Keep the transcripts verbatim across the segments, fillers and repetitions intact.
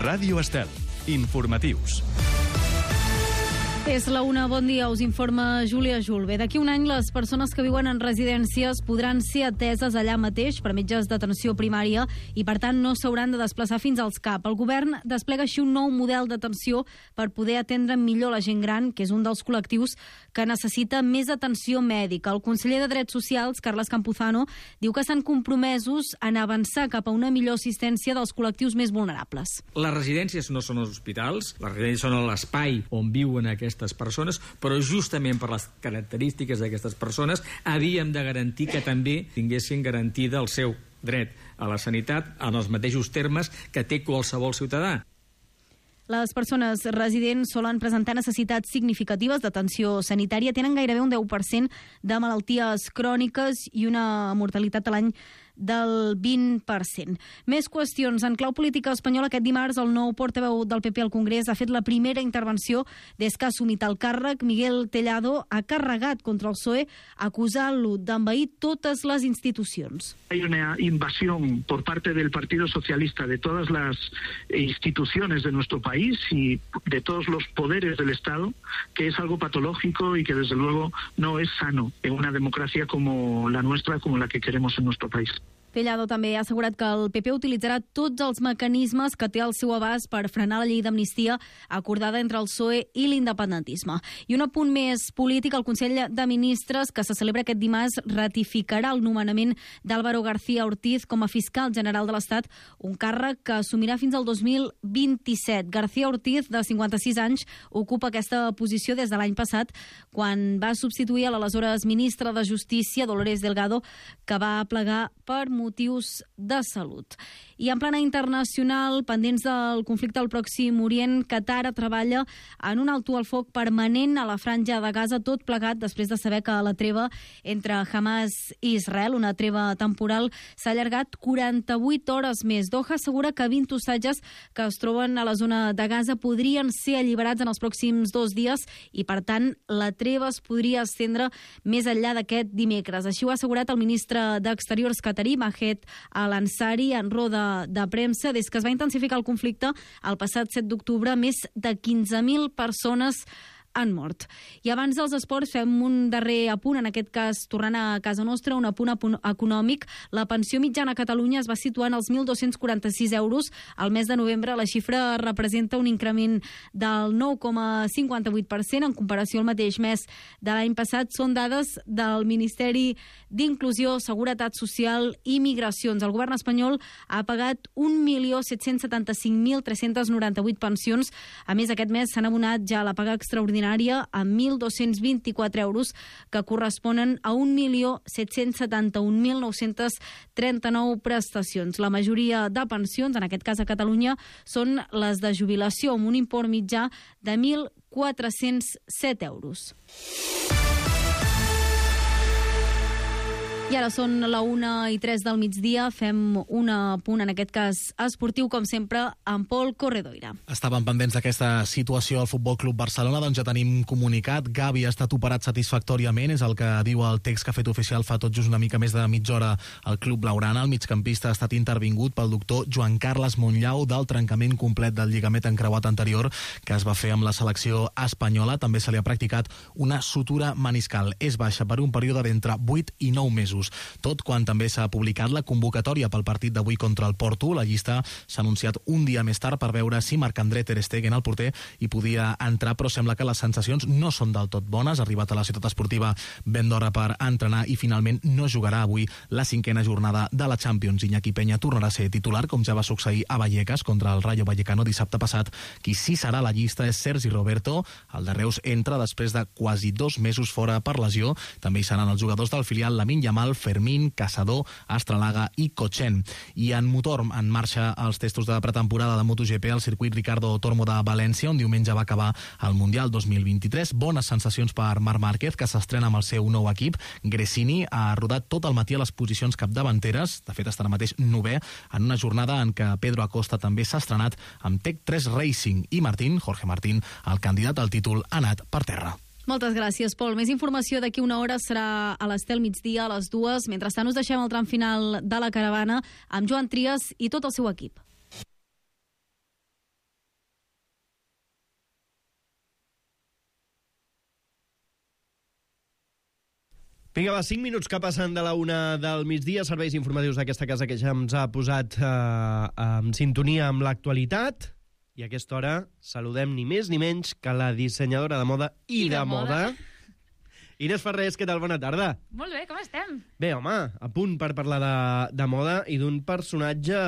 Ràdio Estel. Informatius. És la una, bon dia, us informa Júlia Julve. D'aquí un any les persones que viuen en residències podran ser ateses allà mateix per metges d'atenció primària i per tant no s'hauran de desplaçar fins als C A P. El govern desplega així un nou model d'atenció per poder atendre millor la gent gran, que és un dels col·lectius que necessita més atenció mèdica. El conseller de Drets Socials, Carles Campuzano, diu que estan compromesos en avançar cap a una millor assistència dels col·lectius més vulnerables. Les residències no són els hospitals, les residències són l'espai on viuen aquestes persones, però justament per les característiques d'aquestes persones havíem de garantir que també tinguessin garantida el seu dret a la sanitat en els mateixos termes que té qualsevol ciutadà. Les persones residents solen presentar necessitats significatives d'atenció sanitària, tenen gairebé un deu per cent de malalties cròniques i una mortalitat a l'any del vint per cent. Més qüestions. En clau política espanyola, aquest dimarts el nou portaveu del P P al Congrés ha fet la primera intervenció des que ha assumit el càrrec. Miguel Tellado ha carregat contra el P S O E acusant-lo d'envair totes les institucions. Hay una invasión por parte del Partido Socialista de todas las instituciones de nuestro país y de todos los poderes del Estado, que es algo patológico y que desde luego no es sano en una democracia como la nuestra, como la que queremos en nuestro país. Tellado també ha assegurat que el P P utilitzarà tots els mecanismes que té al seu abast per frenar la llei d'amnistia acordada entre el P S O E i l'independentisme. I un apunt més polític, el Consell de Ministres, que se celebra aquest dimarts, ratificarà el nomenament d'Álvaro García Ortiz com a fiscal general de l'Estat, un càrrec que assumirà fins al dos mil vint-i-set. García Ortiz, de cinquanta-sis anys, ocupa aquesta posició des de l'any passat, quan va substituir a l'aleshores ministra de Justícia, Dolores Delgado, que va plegar per motius de salut. I en plana internacional, pendents del conflicte al Pròxim Orient, Qatar treballa en un alto al foc permanent a la franja de Gaza, tot plegat després de saber que la treva entre Hamas i Israel, una treva temporal, s'ha allargat quaranta-vuit hores més. Doha assegura que vint ostatges que es troben a la zona de Gaza podrien ser alliberats en els pròxims dos dies i, per tant, la treva es podria estendre més enllà d'aquest dimecres. Així ho ha assegurat el ministre d'Exteriors qatarí, Mahed Al-Ansari, en roda de premsa. Des que es va intensificar el conflicte el passat set d'octubre, més de quinze mil persones han mort. I abans dels esports fem un darrer apunt, en aquest cas tornant a casa nostra, un apunt econòmic. La pensió mitjana a Catalunya es va situar en els mil dos-cents quaranta-sis euros al mes de novembre. La xifra representa un increment del nou coma cinquanta-vuit per cent en comparació al mateix mes de l'any passat. Són dades del Ministeri d'Inclusió, Seguretat Social i Migracions. El govern espanyol ha pagat un milió set-cents setanta-cinc mil tres-cents noranta-vuit pensions. A més, aquest mes s'han abonat ja la paga extraordinària a mil dos-cents vint-i-quatre euros, que corresponen a un milió set-cents setanta-un mil nou-cents trenta-nou prestacions. La majoria de pensions, en aquest cas a Catalunya, són les de jubilació, amb un import mitjà de mil quatre-cents set euros. I ara són la una i tres del migdia, fem un apunt, en aquest cas esportiu, com sempre, amb Pol Corredoira. Estàvem pendents d'aquesta situació al Futbol Club Barcelona, doncs ja tenim comunicat. Gavi ha estat operat satisfactòriament, és el que diu el text que ha fet oficial fa tot just una mica més de mitja hora al Club Blaugrana. El migcampista ha estat intervingut pel doctor Joan Carles Monllau del trencament complet del lligament encreuat anterior que es va fer amb la selecció espanyola. També se li ha practicat una sutura meniscal. És baixa per un període d'entre vuit i nou mesos. Tot quan també s'ha publicat la convocatòria pel partit d'avui contra el Porto. La llista s'ha anunciat un dia més tard per veure si Marc-André Ter Stegen, el porter, hi podia entrar, però sembla que les sensacions no són del tot bones. Ha arribat a la ciutat esportiva ben d'hora per entrenar i finalment no jugarà avui la cinquena jornada de la Champions. Iñaki Peña tornarà a ser titular, com ja va succeir a Vallecas contra el Rayo Vallecano dissabte passat. Qui sí serà a la llista és Sergi Roberto. El de Reus entra després de quasi dos mesos fora per lesió. També hi seran els jugadors del filial Lamine Yamal, Fermín, Caçador, Astralaga i Cochen. I en motor, en marxa els testos de pretemporada de MotoGP al circuit Ricardo Tormo de València, on diumenge va acabar el Mundial dos mil vint-i-tres. Bones sensacions per Marc Márquez, que s'estrena amb el seu nou equip. Gresini ha rodat tot el matí a les posicions capdavanteres, de fet està ara mateix novè, en una jornada en què Pedro Acosta també s'ha estrenat amb Tech tres Racing, i Martín, Jorge Martín, el candidat al títol, ha anat per terra. Moltes gràcies, Pol. Més informació d'aquí una hora serà a l'Estel migdia a les dues. Mentrestant us deixem el tram final de la caravana amb Joan Trias i tot el seu equip. Vinga, va, cinc minuts que passen de la una del migdia, serveis informatius d'aquesta casa que ja ens ha posat eh, en sintonia amb l'actualitat. I a aquesta hora saludem ni més ni menys que la dissenyadora de moda i, I de, de moda. moda. Inés Ferrés, què tal? Bona tarda. Molt bé, com estem? Bé, home, a punt per parlar de, de moda i d'un personatge,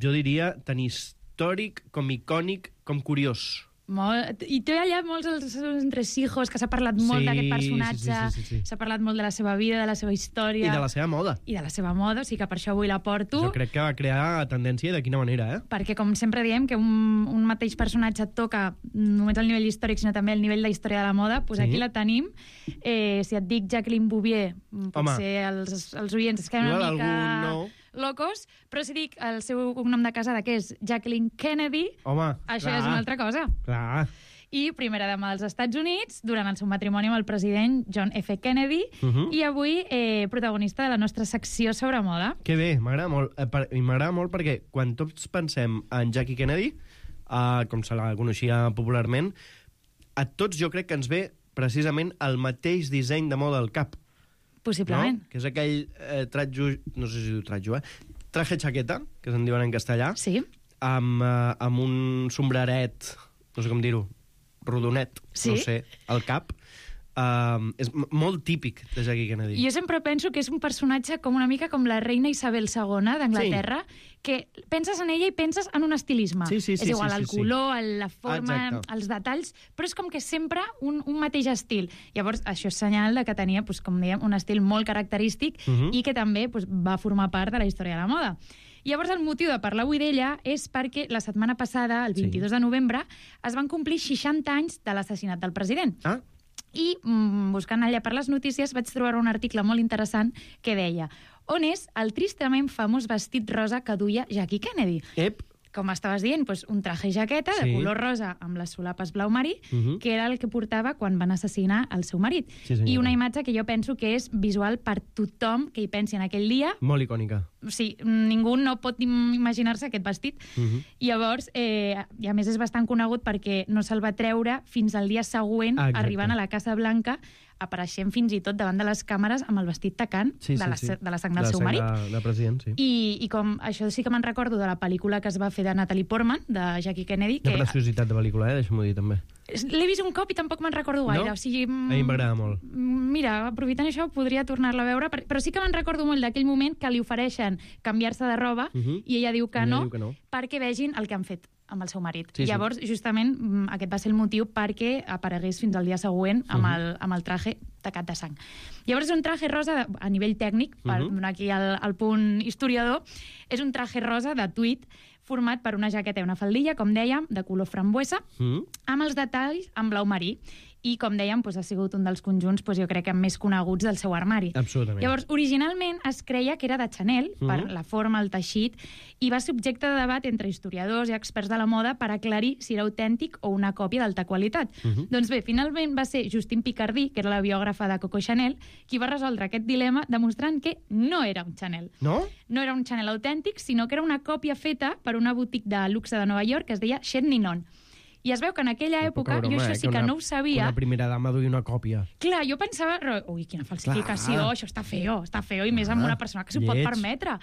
jo diria, tan històric com icònic com curiós. Molt. I té allà molts els entresijos, que s'ha parlat molt Sí, d'aquest personatge, sí, sí, sí, sí. s'ha parlat molt de la seva vida, de la seva història... I de la seva moda. I de la seva moda, o sigui que per això avui la porto. Jo crec que va crear tendència i de quina manera, eh? Perquè, com sempre diem, que un, un mateix personatge toca només el nivell històric, sinó també el nivell de història de la moda, doncs Sí. aquí la tenim. Eh, si et dic Jacqueline Bouvier, potser els, els oients es queden Igual una mica... algun no. locos, però si dic el seu cognom de casada, que és Jacqueline Kennedy, Home, això clar. és una altra cosa. Clar. I primera dama dels Estats Units, durant el seu matrimoni amb el president John F. Kennedy, Uh -huh. i avui eh, protagonista de la nostra secció sobre moda. Que bé, m'agrada molt. Eh, per, I m'agrada molt perquè quan tots pensem en Jackie Kennedy, eh, com se la coneixia popularment, a tots jo crec que ens ve precisament el mateix disseny de moda al cap. Possiblement. No? Que és aquell eh, tratjo... No sé si diu tratjo, eh? Traje chaqueta, que se'n diuen en castellà, Sí. amb, eh, amb un sombreret, no sé com dir-ho, rodonet, Sí. no sé, al cap. Um, és m- molt típic de Jackie Kennedy. Jo sempre penso que és un personatge com una mica com la reina Isabel segona d'Anglaterra, sí. que penses en ella i penses en un estilisme. Sí, sí, sí, és igual, sí, sí, el sí. color, el, la forma, Exacte. els detalls, però és com que sempre un, un mateix estil. Llavors, això és senyal de que tenia, doncs, com dèiem, un estil molt característic Uh -huh. i que també doncs, va formar part de la història de la moda. Llavors, el motiu de parlar avui d'ella és perquè la setmana passada, el vint-i-dos de novembre, es van complir seixanta anys de l'assassinat del president. Ah, I, mm, buscant allà per les notícies, vaig trobar un article molt interessant que deia: on és el tristament famós vestit rosa que duia Jackie Kennedy? ep, Com estaves dient, doncs un traje jaqueta de Sí. color rosa amb les solapes blau marí, Uh -huh. que era el que portava quan van assassinar el seu marit. Sí, senyora. I una imatge que jo penso que és visual per tothom que hi pensi en aquell dia. molt icònica. O sigui, ningú no pot im- imaginar-se aquest vestit. Uh -huh. Llavors, eh, i a més és bastant conegut perquè no se'l va treure fins al dia següent, Ah, exacte. arribant a la Casa Blanca, apareixent fins i tot davant de les càmeres amb el vestit tacant Sí, de, sí, la, sí. de la sang del De la seu sang marit. De, de president, sí. I, I com això sí que me'n recordo de la pel·lícula que es va fer de Natalie Portman, de Jackie Kennedy, De que preciositat de pel·lícula, eh? Deixa'm-ho dir, també. l'he vist un cop i tampoc me'n recordo gaire. No? O sigui, A mi m'agrada molt. Mira, aprofitant això, podria tornar-la a veure, però sí que me'n recordo molt d'aquell moment que li ofereixen canviar-se de roba Uh -huh. i ella diu que, Ella no, diu que no. perquè vegin el que han fet amb el seu marit. Sí, sí. Llavors, justament, mm, aquest va ser el motiu perquè aparegués fins al dia següent amb, Uh -huh. el, amb el traje tacat de sang. Llavors, és un traje rosa, de, a nivell tècnic, per Uh -huh. donar aquí el, el punt historiador, és un traje rosa de tuit format per una jaqueta i una faldilla, com dèiem, de color frambuesa, Mm? amb els detalls en blau marí. I, com dèiem, doncs, ha sigut un dels conjunts, doncs, jo crec que més coneguts del seu armari. Absolutament. Llavors, originalment es creia que era de Chanel, Mhm. per la forma, el teixit, i va ser objecte de debat entre historiadors i experts de la moda per aclarir si era autèntic o una còpia d'alta qualitat. Mhm. Doncs bé, finalment va ser Justine Picardie, que era la biògrafa de Coco Chanel, qui va resoldre aquest dilema demostrant que no era un Chanel. No? No era un Chanel autèntic, sinó que era una còpia feta per una botiga de luxe de Nova York que es deia Chez Ninon. I es veu que en aquella època, Poca broma, jo això eh, sí que una, no ho sabia... Una primera dama duia una còpia. Clar, jo pensava, ro- ui, quina falsificació, Clar. això està feo, està feo, i més amb Ah, una persona que s'ho pot lleig. permetre.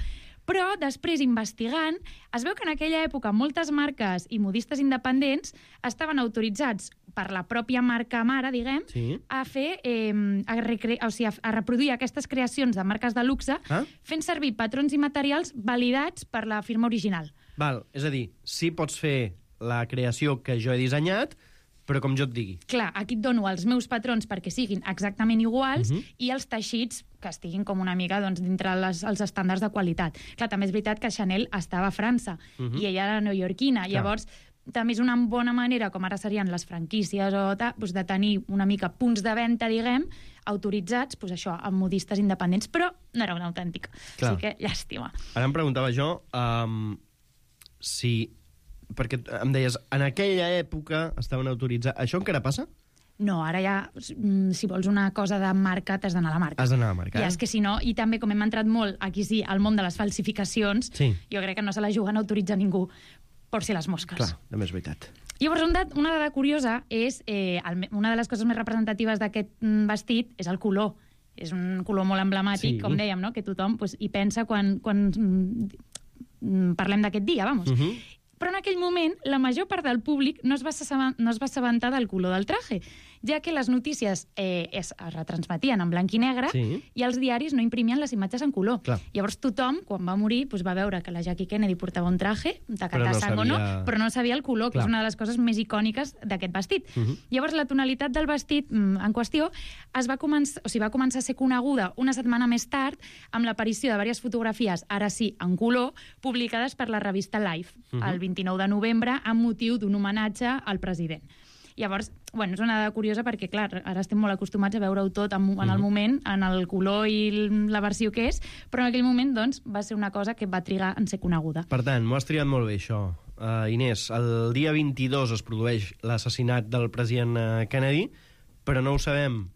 Però després, investigant, es veu que en aquella època moltes marques i modistes independents estaven autoritzats per la pròpia marca mare, diguem, Sí. a fer, eh, a, recre... o sigui, a, a reproduir aquestes creacions de marques de luxe Ah? fent servir patrons i materials validats per la firma original. Val, és a dir, sí pots fer la creació que jo he dissenyat, però com jo et digui. Clar, aquí et dono els meus patrons perquè siguin exactament iguals Mhm. i els teixits que estiguin com una mica doncs, dintre les, els estàndards de qualitat. Clar, també és veritat que Chanel estava a França Mhm. i ella era neoyorquina. Clar. Llavors, també és una bona manera, com ara serien les franquícies, o ta, doncs, de tenir una mica punts de venda, diguem, autoritzats, doncs això, amb modistes independents, però no era un autèntic. Clar. Així que, llàstima. Ara em preguntava jo um, si... Perquè em deies, en aquella època estaven autoritzats... Això encara passa? No, ara ja, mm, si vols una cosa de marca, t'has d'anar a la marca. Has d'anar a la marca, I eh? és que si no, i també com hem entrat molt aquí sí al món de les falsificacions, Sí. jo crec que no se la juguen a autoritzar ningú por si les mosques. Clar, també és veritat. Llavors, un dat, una dada curiosa és, eh, el, me- una de les coses més representatives d'aquest mm, vestit és el color. és un color molt emblemàtic, Sí. com dèiem, no? Que tothom pues, hi pensa quan, quan mm, parlem d'aquest dia, vamos. Uh -huh. Però en aquell moment la major part del públic no es va assaben- no es va assabentar del color del traje, ja que les notícies eh, es, es retransmetien en blanc i negre Sí. i els diaris no imprimien les imatges en color. Clar. Llavors tothom, quan va morir, doncs va veure que la Jackie Kennedy portava un traje, tacat Però de no sang o no, sabia- però no sabia el color, que Clar. és una de les coses més icòniques d'aquest vestit. Uh -huh. Llavors la tonalitat del vestit mm, en qüestió es va començar, o sigui, va començar a ser coneguda una setmana més tard amb l'aparició de diverses fotografies, ara sí, en color, publicades per la revista Life, Uh -huh. el vint-i-nou de novembre, amb motiu d'un homenatge al president. Llavors, bueno, és una dada curiosa perquè, clar, ara estem molt acostumats a veure-ho tot en, en el moment, en el color i la versió que és, però en aquell moment, doncs, va ser una cosa que va trigar en ser coneguda. Per tant, m'ho has triat molt bé, això. Uh, Inés, el dia vint-i-dos es produeix l'assassinat del president uh, Kennedy, però no ho sabem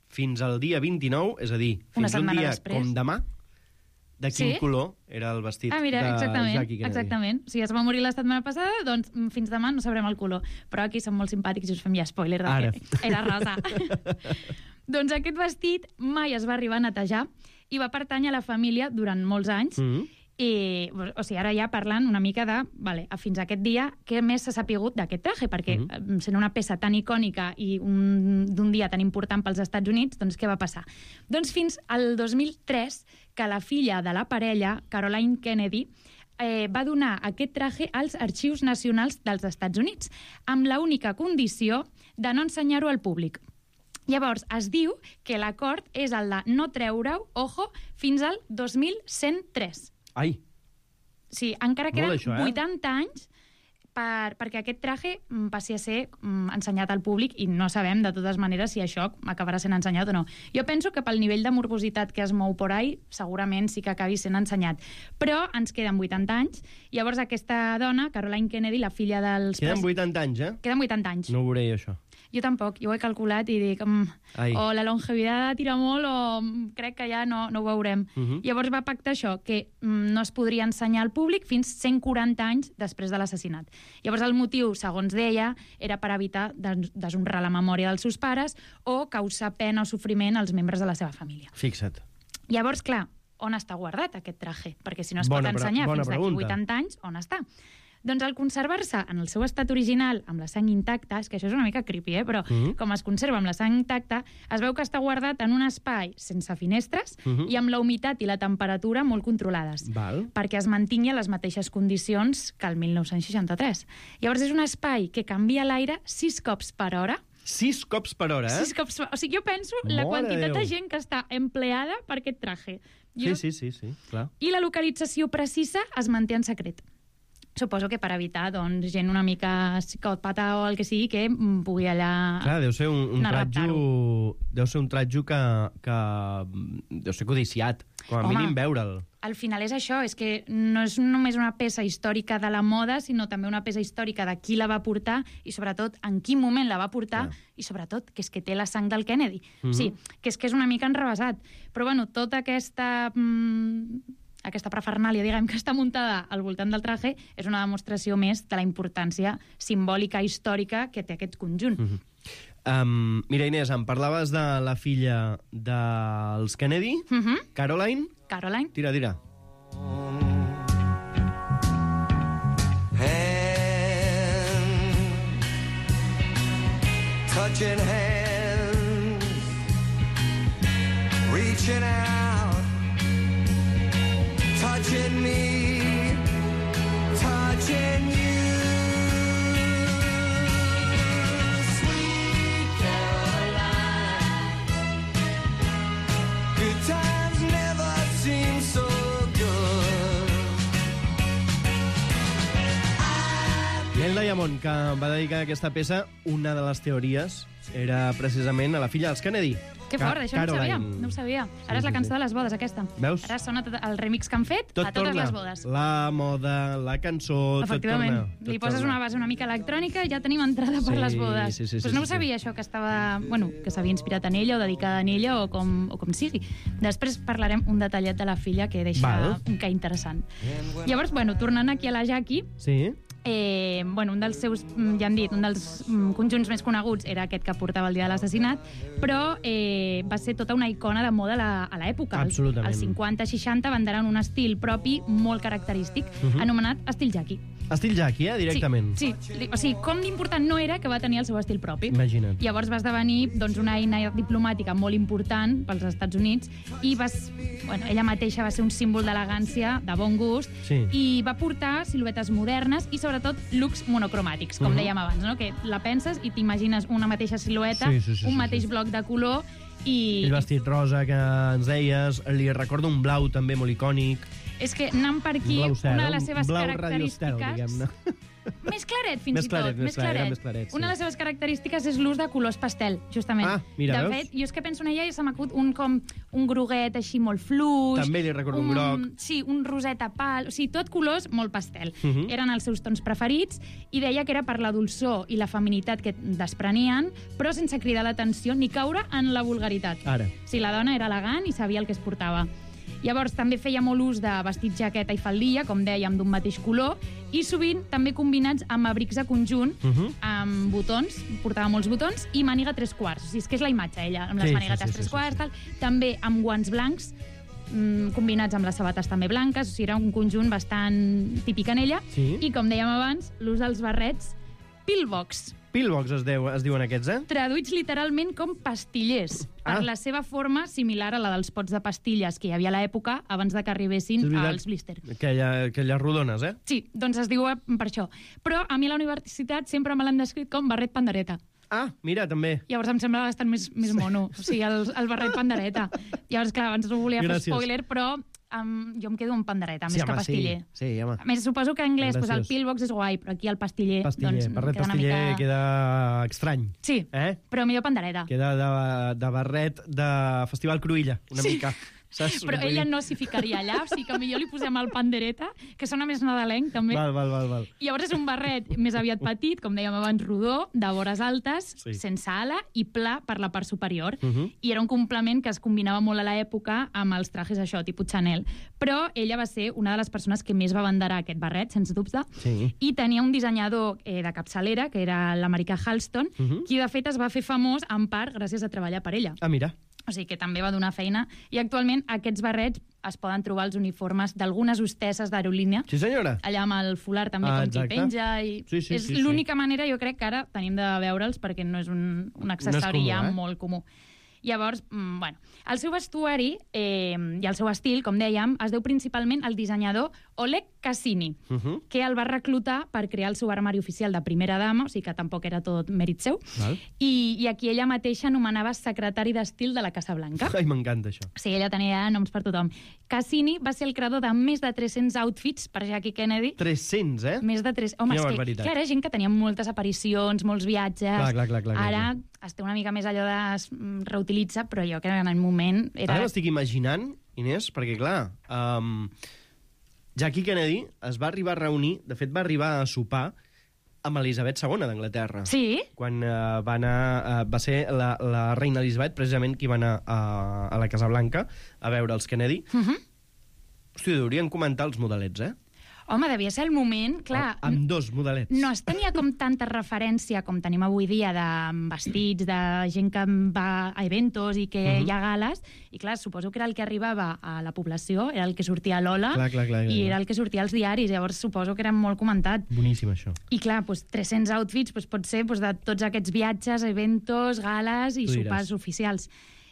fins al dia vint-i-nou, és a dir, Una fins un setmana dia després. com demà, de quin Sí? color era el vestit Ah, mira, de exactament, Jackie Kennedy. exactament. Si es va morir la setmana passada, doncs mm, fins demà no sabrem el color. Però aquí som molt simpàtics i us fem ja spoiler de Ara. que era rosa. Doncs aquest vestit mai es va arribar a netejar i va pertànyer a la família durant molts anys. Mm -hmm. I, o sigui, ara ja parlant una mica de, vale, fins a aquest dia, què més s'ha sapigut d'aquest traje? Perquè Mhm. mm -hmm. sent una peça tan icònica i un, d'un dia tan important pels Estats Units, doncs què va passar? Doncs fins al dos mil tres, que la filla de la parella, Caroline Kennedy, eh, va donar aquest traje als Arxius Nacionals dels Estats Units, amb la única condició de no ensenyar-ho al públic. Llavors, es diu que l'acord és el de no treure-ho, ojo, fins al dos mil cent tres. Ai, Sí, encara queden Molt això, eh? vuitanta anys per, perquè aquest traje mm, passi a ser mm, ensenyat al públic i no sabem, de totes maneres, si això acabarà sent ensenyat o no. Jo penso que pel nivell de morbositat que es mou por ahí, segurament sí que acabi sent ensenyat. Però ens queden vuitanta anys. Llavors aquesta dona, Caroline Kennedy, la filla dels... queden pres- vuitanta anys, eh? Queden vuitanta anys. No ho veuré, jo, això. Jo tampoc, jo ho he calculat i dic, mm, Ai. o la longevitat tira molt o mm, crec que ja no, no ho veurem. Uh -huh. Llavors va pactar això, que mm, no es podria ensenyar al públic fins cent quaranta anys després de l'assassinat. Llavors el motiu, segons deia, era per evitar des deshonrar la memòria dels seus pares o causar pena o sofriment als membres de la seva família. Fixa't. Llavors, clar, on està guardat aquest traje? Perquè si no es Bona pot pre- ensenyar bona fins d'aquí pregunta. vuitanta anys, on està? Doncs al conservar-se en el seu estat original, amb la sang intacta, és que això és una mica creepy, eh? Però Mhm. com es conserva amb la sang intacta, es veu que està guardat en un espai sense finestres Mhm. i amb la humitat i la temperatura molt controlades, Val. perquè es mantingui a les mateixes condicions que el mil nou-cents seixanta-tres. Llavors és un espai que canvia l'aire sis cops per hora. Sis cops per hora, eh? Sis cops per... O sigui, jo penso la Mare quantitat Déu. de gent que està empleada per aquest traje. Jo... Sí, sí, sí, sí, clar. I la localització precisa es manté en secret. Suposo que per evitar, doncs, gent una mica psicòpata o el que sigui que mm, pugui allà... Clar, deu ser un, un anar a tratjo... Deu ser un tratjo que, que... Deu ser codiciat. Com a Home. mínim veure'l. Al final és això, és que no és només una peça històrica de la moda, sinó també una peça històrica de qui la va portar i, sobretot, en quin moment la va portar Clar. i, sobretot, que és que té la sang del Kennedy. Mhm. Sí, que és que és una mica enrevesat. Però, bueno, tota aquesta... Mm, aquesta prefernàlia, diguem, que està muntada al voltant del traje, és una demostració més de la importància simbòlica històrica que té aquest conjunt. Mhm. Um, mira, Inés, em parlaves de la filla dels Kennedy, Mhm. Caroline. Caroline? Tira, tira. Touching hands, reaching out, touching me, touching you. Sweet Caroline, good times never seem so good. Neil Diamond, que va dedicar aquesta peça, una de les teories era precisament a la filla dels Kennedy. Que Ca- fort, això no ho sabia. Caroline. No ho sabia. Sí, Ara és la sí, cançó sí. de les bodes, aquesta. Veus? Ara sona tot el remix que han fet Tot a totes torna. les bodes. La moda, la cançó, Efectivament. tot torna. Li tot poses torna. una base una mica electrònica i ja tenim entrada per Sí, les bodes. sí, sí, sí, pues no sí, ho sí. sabia, això, que estava... Bueno, que s'havia inspirat en ella o dedicada en ella o com, o com sigui. Després parlarem un detallet de la filla que deixa Val. un que interessant. Llavors, bueno, tornant aquí a la Jackie, Sí? eh, bueno, un dels seus, ja han dit, un dels conjunts més coneguts era aquest que portava el dia de l'assassinat, però eh, va ser tota una icona de moda a la- a l'època. Els- Absolutament. Els cinquanta seixanta van dar un estil propi molt característic, Mhm. anomenat estil Jackie. Estil Jackie, eh, directament. Sí, sí, o sigui, com d'important no era que va tenir el seu estil propi. Imagina't. Llavors va esdevenir doncs, una eina diplomàtica molt important pels Estats Units i va, s- bueno, ella mateixa va ser un símbol d'elegància, de bon gust, Sí. i va portar siluetes modernes i sobretot looks monocromàtics, com Mhm. dèiem abans, no? Que la penses i t'imagines una mateixa silueta, Sí, sí, sí, un sí, mateix sí. bloc de color i... El vestit rosa que ens deies, li recordo un blau també molt icònic. És que anant per aquí, Un blau cel, una de un les seves blau Radio Estel, característiques... diguem-ne. Més claret, fins Més i claret, tot. més clar, era més claret, sí. Una de les seves característiques és l'ús de colors pastel, justament. Ah, mira, de veus? fet, jo és que penso en ella i se m'acut un com un groguet així molt fluix. També li recordo un groc. Sí, un roseta pal. O sigui, tot colors molt pastel. Uh -huh. Eren els seus tons preferits i deia que era per la dolçor i la feminitat que desprenien, però sense cridar l'atenció ni caure en la vulgaritat. Ara. O sigui, la dona era elegant i sabia el que es portava. Llavors, també feia molt ús de vestit, jaqueta i faldilla, com dèiem, d'un mateix color, i sovint també combinats amb abrics de conjunt, Uh -huh. amb botons, portava molts botons, i màniga tres quarts. O sigui, és que és la imatge, ella, amb les Sí, màniguetes sí, sí, tres sí, quarts, sí. tal. També amb guants blancs, mm, combinats amb les sabates també blanques, o sigui, era un conjunt bastant típic en ella. Sí. I, com dèiem abans, l'ús dels barrets pillbox, Pillbox es, deu, es diuen aquests, eh? traduïts literalment com pastillers, per Ah. la seva forma similar a la dels pots de pastilles que hi havia a l'època abans de que arribessin És veritat. als blister. Aquella, aquelles rodones, eh? Sí, doncs es diu per això. Però a mi a la universitat sempre me l'han descrit com barret pandereta. Ah, mira, també. Llavors em sembla bastant més, més mono. O sigui, el, el barret pandereta. Llavors, clar, abans no volia fer Gràcies. spoiler, però um, jo em quedo amb pandereta, Sí, més que home, pastiller. Sí, sí, home. A més, suposo que en anglès pues, el Graciós. pillbox és guai, però aquí el pastiller, Pastiller, doncs, barret queda una pastiller mica... queda estrany. Sí, Eh? però millor pandereta. Queda de, de barret de Festival Cruïlla, una Sí. mica. Saps? Però Vull ella dir- no s'hi ficaria allà, o sigui que millor li posem el pandereta, que sona més nadalenc, també. Val, val, val, val. Llavors és un barret més aviat petit, com dèiem abans, rodó, de vores altes, Sí. sense ala i pla per la part superior. Uh -huh. I era un complement que es combinava molt a l'època amb els trajes això, tipus Chanel. Però ella va ser una de les persones que més va abanderar aquest barret, sens dubte, Sí. i tenia un dissenyador eh, de capçalera, que era l'americà Halston, Uh -huh. qui de fet es va fer famós en part gràcies a treballar per ella. Ah, mira. O sigui que també va donar feina. I actualment aquests barrets es poden trobar als uniformes d'algunes hostesses d'aerolínia, Sí, senyora. allà amb el fular també Ah, com qui exacte. penja. I Sí, sí, és sí, sí. l'única manera, jo crec, que ara tenim de veure'ls perquè no és un, un accessori comú, ja eh? molt comú. Llavors, mm, bueno, el seu vestuari eh, i el seu estil, com dèiem, es deu principalment al dissenyador Oleg Cassini, Uh -huh. que el va reclutar per crear el seu armari oficial de primera dama, o sigui que tampoc era tot mèrit seu, Val. i, i aquí ella mateixa anomenava secretari d'estil de la Casa Blanca. Ai, m'encanta això. Sí, ella tenia noms per tothom. Cassini va ser el creador de més de tres-cents outfits per Jackie Kennedy. tres-cents, eh? Més de tres... Home, Quina és que, barbaritat. clar, era gent que tenia moltes aparicions, molts viatges... Clar, clar, clar, clar, clar, Ara es té una mica més allò de... es reutilitza, però jo crec que en el moment era... Ara m'estic imaginant, Inés, perquè, clar, um, Jackie Kennedy es va arribar a reunir, de fet, va arribar a sopar amb Elisabet segona d'Anglaterra. Sí? Quan uh, va anar... Uh, va ser la, la reina Elisabet, precisament, qui va anar a, a la Casa Blanca a veure els Kennedy. Uh -huh. Hòstia, deurien comentar els modelets, eh? Home, devia ser el moment, clar... Amb dos modelets. No es tenia com tanta referència com tenim avui dia de vestits, de gent que va a eventos i que Mhm. uh -huh. hi ha gales, i clar, suposo que era el que arribava a la població, era el que sortia a l'Ola, Clar, clar, clar, clar, i clar. era el que sortia als diaris, llavors suposo que era molt comentat. Boníssim, això. I clar, doncs, tres-cents outfits doncs, pot ser doncs, de tots aquests viatges, eventos, gales i Tu diràs. sopars oficials.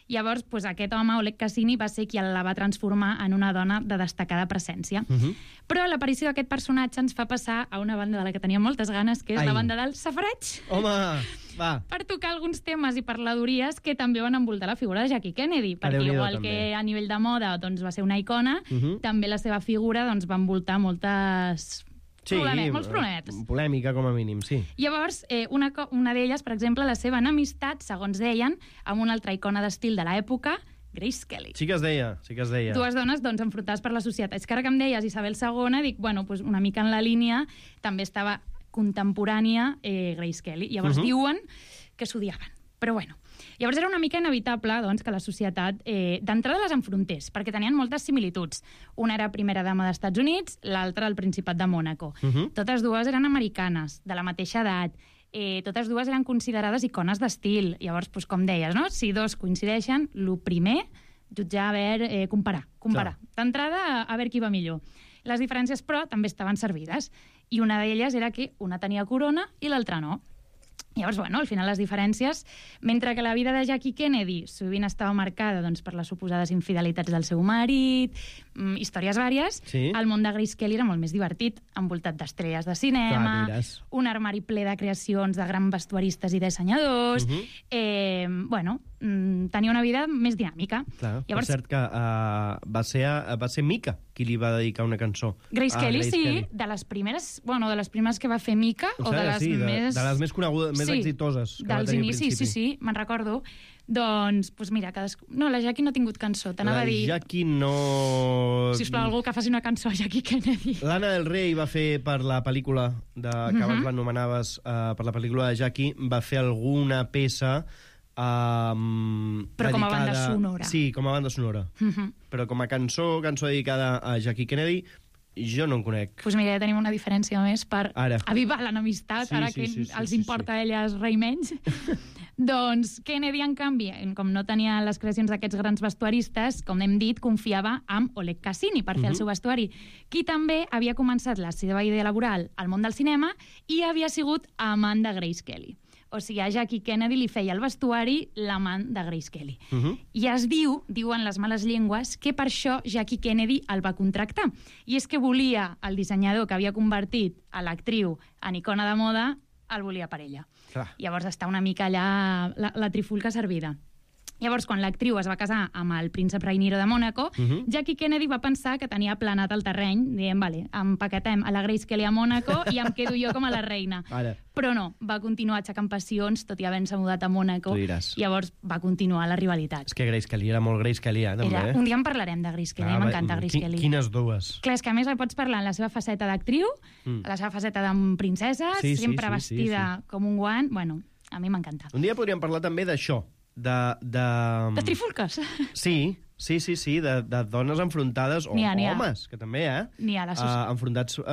Llavors, doncs, aquest home, Oleg Cassini, va ser qui la va transformar en una dona de destacada presència. Uh -huh. Però l'aparició d'aquest personatge ens fa passar a una banda de la que tenia moltes ganes, que és Ai. la banda del safareig, Home, va. per tocar alguns temes i parladories que també van envoltar la figura de Jackie Kennedy, perquè Déu-n'hi-do, igual també. que a nivell de moda doncs, va ser una icona, Uh -huh. també la seva figura doncs, va envoltar moltes... Sí, Problemet, molts problemetes. polèmica, com a mínim, sí. Llavors, eh, una, co- una d'elles, per exemple, la seva enemistat, segons deien, amb una altra icona d'estil de l'època, Grace Kelly. Sí que es deia, sí que es deia. Dues dones doncs, enfrontades per la societat. És que ara que em deies Isabel segona, dic, bueno, pues una mica en la línia, també estava contemporània eh, Grace Kelly. Llavors Mhm. diuen que s'odiaven. Però bueno, Llavors era una mica inevitable doncs, que la societat eh, d'entrada les enfrontés, perquè tenien moltes similituds. Una era primera dama d'Estats Units, l'altra el Principat de Mònaco. Uh -huh. Totes dues eren americanes, de la mateixa edat. Eh, totes dues eren considerades icones d'estil. Llavors, doncs, com deies, no? Si dos coincideixen, el primer, jutjar, a veure, eh, comparar. comparar. D'entrada, a, a veure qui va millor. Les diferències, però, també estaven servides. I una d'elles era que una tenia corona i l'altra no. Llavors, bueno, al final les diferències, mentre que la vida de Jackie Kennedy sovint estava marcada doncs, per les suposades infidelitats del seu marit, mm, històries vàries, sí. El món de Grace Kelly era molt més divertit, envoltat d'estrelles de cinema, Clar, un armari ple de creacions de grans vestuaristes i dissenyadors, uh -huh. eh, bueno, mm, tenia una vida més dinàmica. Clar, Llavors, és cert que uh, va, ser, uh, va ser Mika qui li va dedicar una cançó. Grace Kelly, Grace sí, Kelly. de les primeres, bueno, de les primeres que va fer Mika, o, o de les sí, més... De, de les més conegudes, més sí, exitoses que dels va tenir inicis, al principi. sí, sí, me'n recordo. Doncs, pues mira, cadascú... No, la Jackie no ha tingut cançó, t'anava la a dir... La Jackie no... Sisplau, algú que faci una cançó a Jackie Kennedy. L'Anna del Rey va fer per la pel·lícula, de, que uh -huh. abans l'anomenaves, uh, per la pel·lícula de Jackie, va fer alguna peça... Um, Però dedicada... com a banda sonora. Sí, com a banda sonora. Uh -huh. Però com a cançó, cançó dedicada a Jackie Kennedy, jo no en conec. Doncs pues mira, ja tenim una diferència més per ara. avivar l'enemistat, sí, ara sí, que sí, sí, els sí, importa sí. a elles rei menys. Doncs Kennedy, en canvi, com no tenia les creacions d'aquests grans vestuaristes, com hem dit, confiava en Oleg Cassini per fer uh -huh. el seu vestuari, qui també havia començat la seva idea laboral al món del cinema i havia sigut amant de Grace Kelly. O sigui, a Jackie Kennedy li feia el vestuari l'amant de Grace Kelly. Uh -huh. I es diu, diuen les males llengües, que per això Jackie Kennedy el va contractar. I és que volia el dissenyador que havia convertit a l'actriu en icona de moda, el volia per ella. Clar. Llavors està una mica allà la, la trifulca servida. Llavors, quan l'actriu es va casar amb el príncep Rainiero de Mònaco, uh -huh. Jackie Kennedy va pensar que tenia planat el terreny, dient, vale, empaquetem a la Grace Kelly a Mònaco i em quedo jo com a la reina. Ara. Però no, va continuar aixecant passions, tot i havent-se mudat a Mònaco. Llavors va continuar la rivalitat. És que Grace Kelly era molt Grace Kelly, eh, també. Era, un dia en parlarem de Grace Kelly, ah, m'encanta Grace Kelly. Quines dues. Clar, és que a més la pots parlar en la seva faceta d'actriu, mm. la seva faceta de princesa, sí, sempre sí, sí, vestida sí, sí. com un guant. Bueno, a mi m'encanta. Un dia podríem parlar també d'això, de, de... De trifulques. Sí, sí, sí, sí, de, de dones enfrontades, o ha, homes, que també, eh? N'hi ha, la uh, enfrontats uh,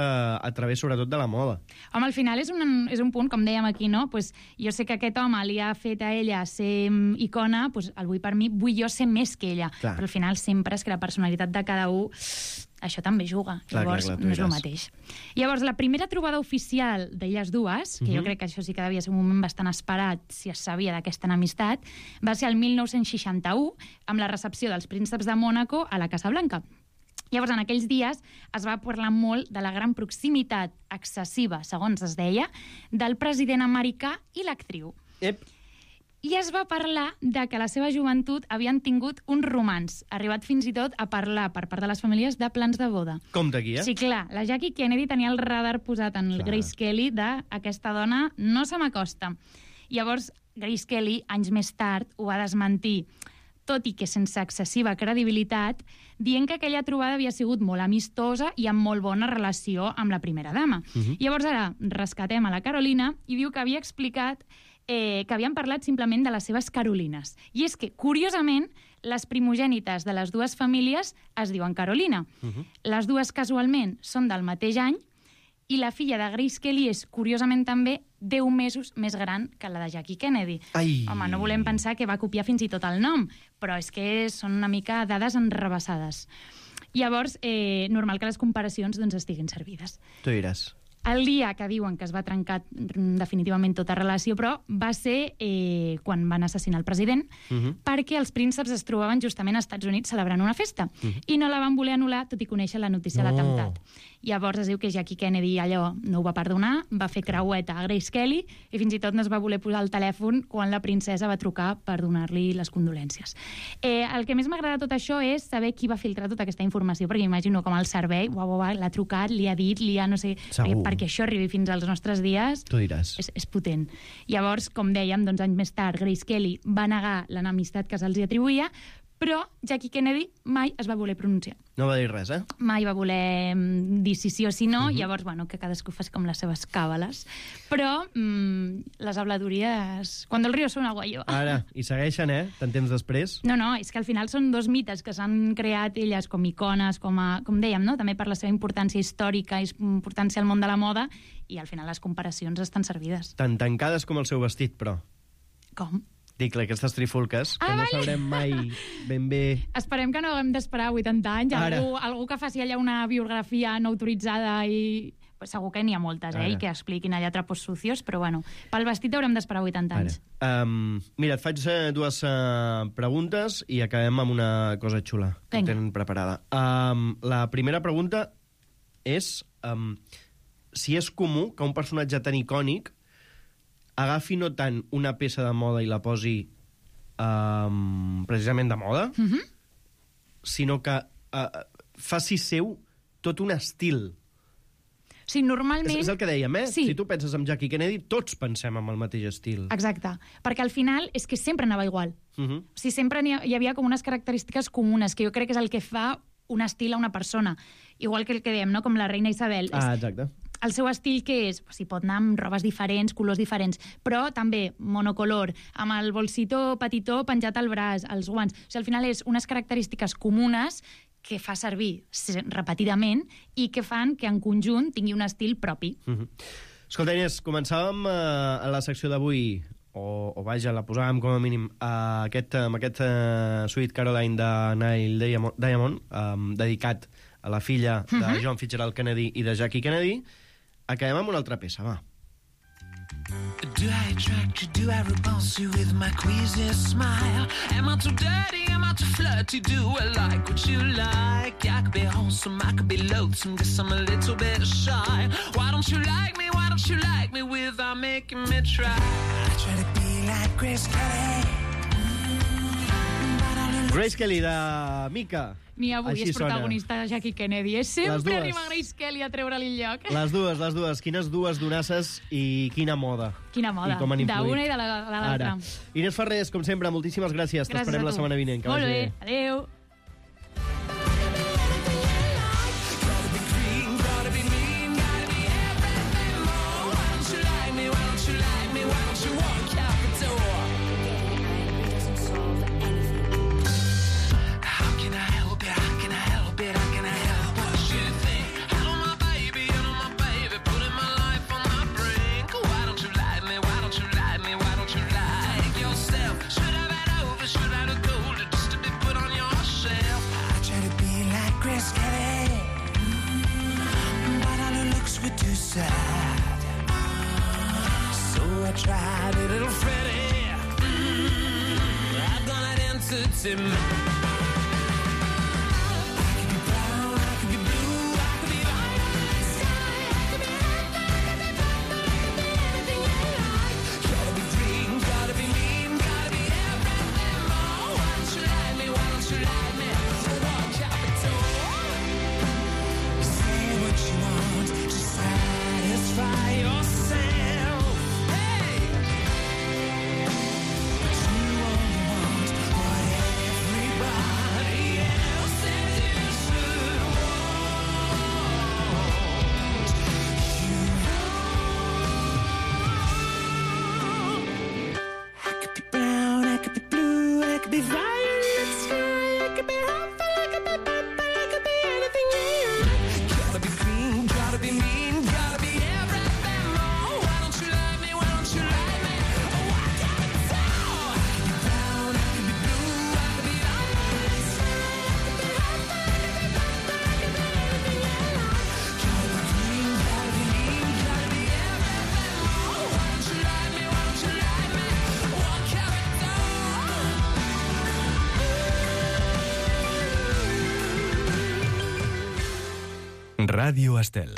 a través, sobretot, de la moda. Home, al final és un, és un punt, com dèiem aquí, no? Pues, jo sé que aquest home li ha fet a ella ser icona, pues, el vull per mi, vull jo ser més que ella. Clar. Però al final sempre és que la personalitat de cada un... això també juga, clar, llavors clar, clar, no és el mateix. Llavors, la primera trobada oficial d'elles dues, que uh-huh. jo crec que això sí que devia ser un moment bastant esperat si es sabia d'aquesta enemistat, va ser el mil nou-cents seixanta-u, amb la recepció dels prínceps de Mònaco a la Casa Blanca. Llavors, en aquells dies es va parlar molt de la gran proximitat excessiva, segons es deia, del president americà i l'actriu. Ep. I es va parlar de que a la seva joventut havien tingut un romanç, arribat fins i tot a parlar per part de les famílies de plans de boda. Compte aquí, eh? Sí, clar, la Jackie Kennedy tenia el radar posat en el clar. Grace Kelly de aquesta dona no se m'acosta. Llavors, Grace Kelly, anys més tard, ho va desmentir, tot i que sense excessiva credibilitat, dient que aquella trobada havia sigut molt amistosa i amb molt bona relació amb la primera dama. Uh -huh. Llavors ara rescatem a la Carolina i diu que havia explicat eh, que havien parlat simplement de les seves Carolines. I és que, curiosament, les primogènites de les dues famílies es diuen Carolina. Uh -huh. Les dues casualment són del mateix any i la filla de Grace Kelly és, curiosament també, deu mesos més gran que la de Jackie Kennedy. Ai. Home, no volem pensar que va copiar fins i tot el nom, però és que són una mica dades enrebaçades. Llavors, eh, normal que les comparacions doncs, estiguin servides. Tu diràs. El dia que diuen que es va trencar definitivament tota relació, però va ser eh, quan van assassinar el president, uh -huh. perquè els prínceps es trobaven justament als Estats Units celebrant una festa, uh -huh. i no la van voler anul·lar, tot i conèixer la notícia no. de l'atemptat. Llavors es diu que Jackie Kennedy allò no ho va perdonar, va fer creueta a Grace Kelly i fins i tot no es va voler posar el telèfon quan la princesa va trucar per donar-li les condolències. Eh, el que més m'agrada tot això és saber qui va filtrar tota aquesta informació, perquè imagino com el servei uau, uau, uau, l'ha trucat, li ha dit, li ha no sé... Segur. Perquè això arribi fins als nostres dies és, és potent. Llavors, com dèiem, doncs, anys més tard, Grace Kelly va negar l'enemistat que se'ls atribuïa, Però Jackie Kennedy mai es va voler pronunciar. No va dir res, eh? Mai va voler mm, dir si sí o si no, uh-huh. Llavors, bueno, que cadascú faci com les seves càbales. Però mm, les habladuries... Cuando el río suena guayo. Ara, i segueixen, eh? Tant temps després. No, no, és que al final són dos mites que s'han creat elles com icones, com, a, com dèiem, no? També per la seva importància històrica i importància al món de la moda, i al final les comparacions estan servides. Tan tancades com el seu vestit, però. Com? Dic, aquestes trifulques, que Ah, no vale. sabrem mai ben bé... Esperem que no haguem d'esperar vuitanta anys. Ara. Algú, algú que faci allà una biografia no autoritzada i... Pues segur que n'hi ha moltes, eh? Ara. I que expliquin allà trapos sucios, però bueno, pel vestit haurem d'esperar vuitanta Ara. anys. Um, mira, et faig uh, dues uh, preguntes i acabem amb una cosa xula que Vinga. tenen preparada. Um, la primera pregunta és um, si és comú que un personatge tan icònic agafi no tant una peça de moda i la posi um, precisament de moda, Uh -huh. sinó que uh, faci seu tot un estil. O sigui, normalment... És, és el que dèiem, eh? Sí. Si tu penses en Jackie Kennedy, tots pensem en el mateix estil. Exacte, perquè al final és que sempre anava igual. Uh -huh. O sigui, sempre hi, ha, hi havia com unes característiques comunes, que jo crec que és el que fa un estil a una persona. Igual que el que dèiem, no? Com la reina Isabel. Ah, És, exacte. el seu estil què és? Pues, hi pot anar amb robes diferents, colors diferents, però també monocolor, amb el bolsito petitó penjat al braç, els guants. O sigui, al final és unes característiques comunes que fa servir repetidament i que fan que en conjunt tingui un estil propi. Uh -huh. Escolta, Inés, començàvem uh, a la secció d'avui, o, o vaja, la posàvem com a mínim, uh, aquest, amb aquest uh, Sweet Caroline de Neil Diamond, Diamond um, dedicat a la filla de Uh-huh. John Fitzgerald Kennedy i de Jackie Kennedy. Acabem amb una altra peça, va. Do I attract you? Do I repulse you with my queasy smile? Am I too dirty? Am I too flirty? Do I like what you like? I could be wholesome, I could be loathsome, guess I'm a little bit shy. Why don't you like me? Why don't you like me without making me try? I try to be like Grace Kelly. Grace Kelly, de Mica. Ni avui Així és protagonista de Jackie Kennedy. És Les sempre dues. arriba Grace Kelly a treure-li el lloc. Les dues, les dues. Quines dues donasses i quina moda. Quina moda. I com han influït. D'una i de la- de l'altra. Ara. Inés Ferrés, com sempre, moltíssimes gràcies. Gràcies T'esperem a la tu. setmana vinent. Que Molt vagi bé. Adéu. How can I help it? How can I help it? How can I help what you think? Hello, my baby, hello, my baby, putting my life on the brink. Why don't you like me? Why don't you like me? Why don't you like yourself? Should I have over? Should I have gold just to be put on your shelf? I try to be like Grace Kelly, but all her looks were too sad. So I tried a little Freddie. Mm, I've done it into me. Ràdio Estel.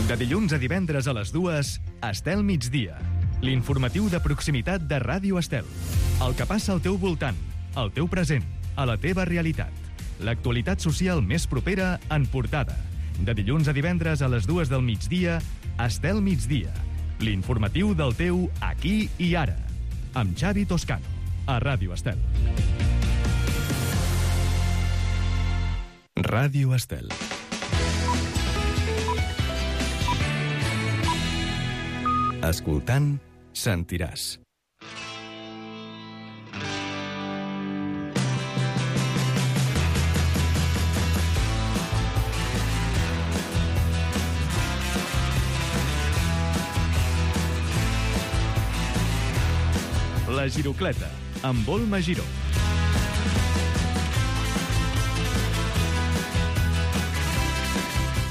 De dilluns a divendres a les dues, Estel migdia. L'informatiu de proximitat de Ràdio Estel. El que passa al teu voltant, al teu present, a la teva realitat. L'actualitat social més propera en portada. De dilluns a divendres a les dues del migdia, Estel Migdia. L'informatiu del teu aquí i ara. Amb Xavi Toscano, a Ràdio Estel. Ràdio Estel. Escoltant, sentiràs. La Girocleta, amb Olma Giró.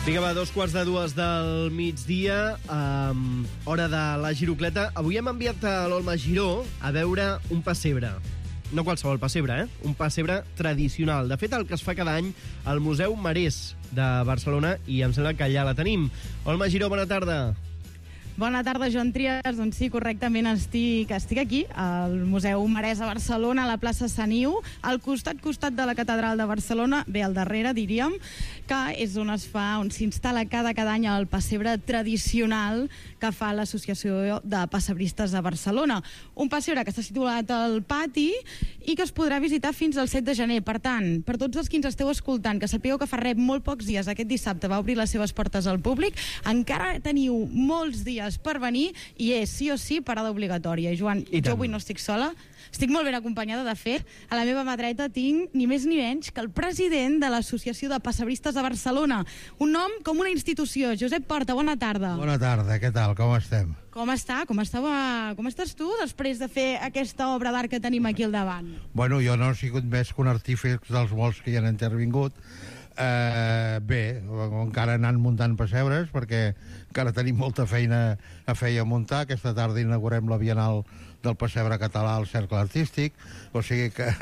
Vinga, va, dos quarts de dues del migdia, um, hora de la Girocleta. Avui hem enviat a l'Olma Giró a veure un pessebre. No qualsevol pessebre, eh? Un pessebre tradicional. De fet, el que es fa cada any al Museu Marès de Barcelona, i em sembla que allà la tenim. Olma Giró, bona tarda. Bona tarda, Joan Trias. Doncs sí, correctament estic, estic aquí, al Museu Marès a Barcelona, a la plaça Sant Iu, al costat costat de la Catedral de Barcelona, bé al darrere, diríem, que és on es fa, on s'instal·la cada, cada any el pessebre tradicional que fa l'Associació de Pessebristes de Barcelona. Un pessebre que està situat al pati i que es podrà visitar fins al set de gener. Per tant, per tots els que ens esteu escoltant, que sapigueu que fa res molt pocs dies, aquest dissabte va obrir les seves portes al públic, encara teniu molts dies per venir i és sí o sí parada obligatòria. Joan, jo avui no estic sola, estic molt ben acompanyada. De fet, a la meva mà dreta tinc ni més ni menys que el president de l'Associació de Pessebristes de Barcelona. Un nom com una institució. Josep Porta, bona tarda. Bona tarda, què tal, com estem? Com està? Com, estava... com estàs tu després de fer aquesta obra d'art que tenim aquí al davant? Bueno, jo no he sigut més que un artífex dels molts que hi han intervingut. Uh, bé, encara anant muntant pessebres perquè encara tenim molta feina a fer i a muntar. Aquesta tarda inaugurem la Bienal del Pessebre Català al Cercle Artístic, o sigui que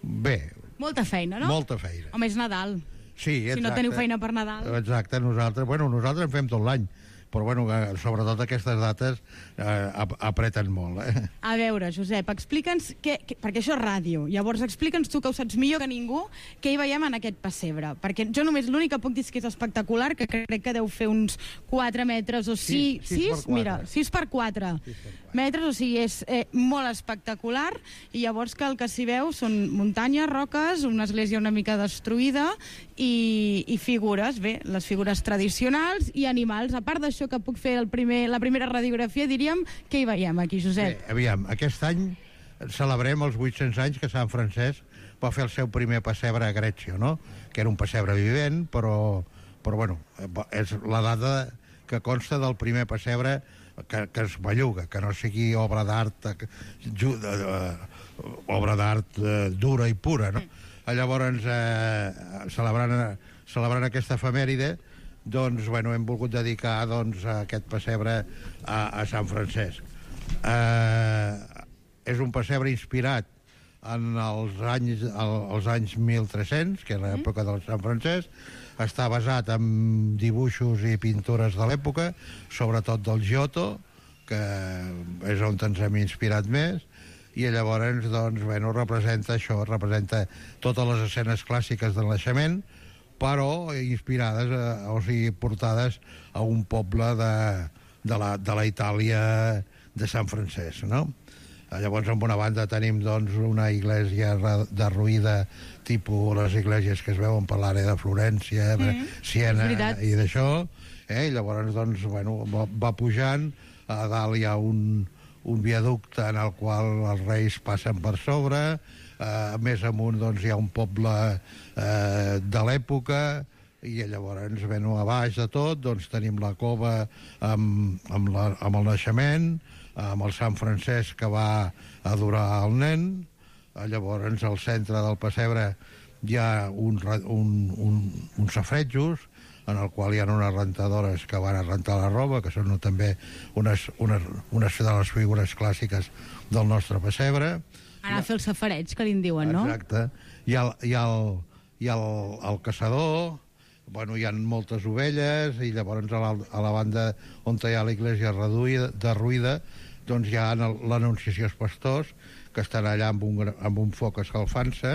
bé. Molta feina, no? Molta feina. Home, és Nadal. Sí, exacte. Si no teniu feina per Nadal. Exacte, nosaltres, bueno, nosaltres en fem tot l'any, però bueno, sobretot aquestes dates eh, apreten molt. Eh? A veure, Josep, explica'ns, què, què, perquè això és ràdio, llavors explica'ns tu, que ho saps millor que ningú, què hi veiem en aquest pessebre, perquè jo només l'únic que puc dir és que és espectacular, que crec que deu fer uns quatre metres o sis, sí, sis, mira, sis per quatre metres, o sigui, és eh, molt espectacular, i llavors que el que s'hi veu són muntanyes, roques, una església una mica destruïda, i, i figures, bé, les figures tradicionals i animals. A part d'això que puc fer el primer, la primera radiografia, diríem, què hi veiem aquí, Josep? Bé, aviam, aquest any celebrem els vuit-cents anys que Sant Francesc va fer el seu primer pessebre a Grècia, no? Que era un pessebre vivent, però, però bueno, és la data que consta del primer pessebre que, que es belluga, que no sigui obra d'art obra d'art eh, dura i pura, no? Mm. Llavors, eh, celebrant, celebrant aquesta efemèride, doncs, bueno, hem volgut dedicar doncs, a aquest pessebre a, a Sant Francesc. Eh, és un pessebre inspirat en els anys, els anys mil tres-cents, que és l'època del Sant Francesc. Està basat en dibuixos i pintures de l'època, sobretot del Giotto, que és on ens hem inspirat més, i llavors, doncs, bueno, representa això, representa totes les escenes clàssiques del naixement, però inspirades, a, o sigui, portades a un poble de, de, la, de la Itàlia de Sant Francesc, no? Llavors, en una banda tenim, doncs, una església derruïda, tipus les esglésies que es veuen per l'àrea de Florència, mm, Siena i d'això, eh? I llavors, doncs, bueno, va, va pujant, a dalt hi ha un, un viaducte en el qual els reis passen per sobre, eh, més amunt, doncs, hi ha un poble eh, de l'època, i llavors, bueno, a baix de tot, doncs, tenim la cova amb, amb, la, amb el naixement, amb el Sant Francesc que va adorar el nen. Llavors, al centre del pessebre hi ha un, un, un, uns safretjos, en el qual hi ha unes rentadores que van a rentar la roba, que són també unes, unes, unes de les figures clàssiques del nostre pessebre. Anar a fer el safareig, que li en diuen, no? Exacte. Hi ha, hi ha, el, hi ha el, el caçador, bueno, hi ha moltes ovelles, i llavors a la, a la banda on hi ha l'església derruïda, doncs hi ha l'Anunciació als pastors, que estan allà amb un, amb un foc escalfant-se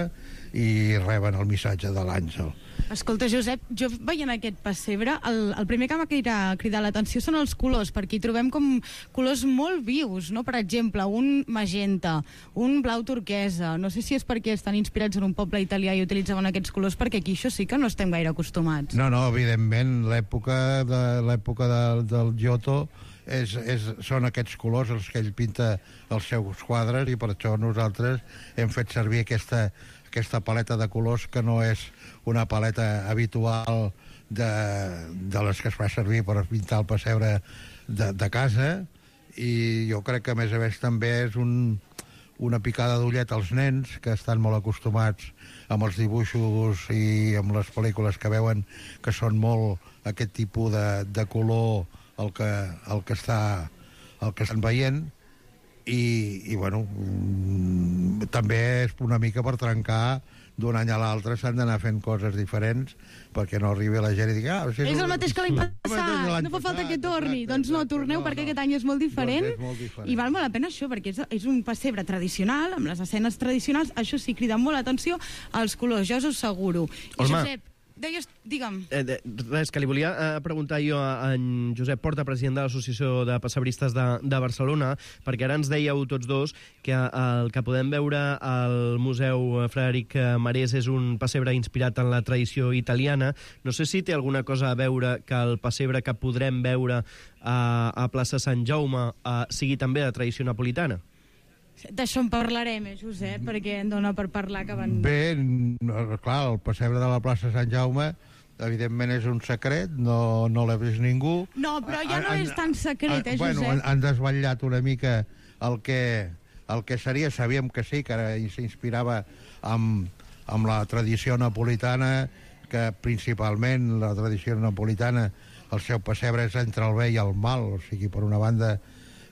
i reben el missatge de l'àngel. Escolta, Josep, jo veient aquest pessebre, el, el primer que m'ha cridat, cridat l'atenció són els colors, perquè hi trobem com colors molt vius, no? Per exemple, un magenta, un blau turquesa. No sé si és perquè estan inspirats en un poble italià i utilitzaven aquests colors, perquè aquí això sí que no estem gaire acostumats. No, no, evidentment, l'època de l'època de, del Giotto és, és, són aquests colors els que ell pinta els seus quadres, i per això nosaltres hem fet servir aquesta, aquesta paleta de colors, que no és una paleta habitual de, de les que es fa servir per pintar el pessebre de, de casa, i jo crec que a més a més també és un, una picada d'ullet als nens, que estan molt acostumats amb els dibuixos i amb les pel·lícules que veuen, que són molt aquest tipus de, de color el que, el que està el que estan veient, i, i bueno, mm, també és una mica per trencar d'un any a l'altre, s'han d'anar fent coses diferents perquè no arribi la gent i digui ah, si és el mateix que l'any passat, l'any no fa falta passat, que torni. exacte, Doncs no, exacte, torneu no, perquè no. aquest any és molt diferent, Doncs és molt diferent. i val molt la pena això, perquè és, és un pessebre tradicional, amb les escenes tradicionals, això sí, crida molt l'atenció als colors, jo us ho asseguro. I Olma. Josep, deies, digue'm. Eh, de, res, que li volia eh, preguntar jo a en Josep Porta, president de l'Associació de Pessebristes de, de Barcelona, perquè ara ens dèieu tots dos que el que podem veure al Museu Frederic Marès és un pessebre inspirat en la tradició italiana. No sé si té alguna cosa a veure que el pessebre que podrem veure a, a plaça Sant Jaume eh, sigui també de tradició napolitana. D'això en parlarem, eh, Josep, perquè em dona per parlar que van... Bé, no, clar, el pessebre de la plaça Sant Jaume evidentment és un secret, no, no l'ha vist ningú. No, però ja no és tan secret, eh, Josep? Bueno, han, han desvetllat una mica el que, el que seria, sabíem que sí, que ara s'inspirava amb, amb la tradició napolitana, que principalment la tradició napolitana, el seu pessebre és entre el bé i el mal, o sigui, per una banda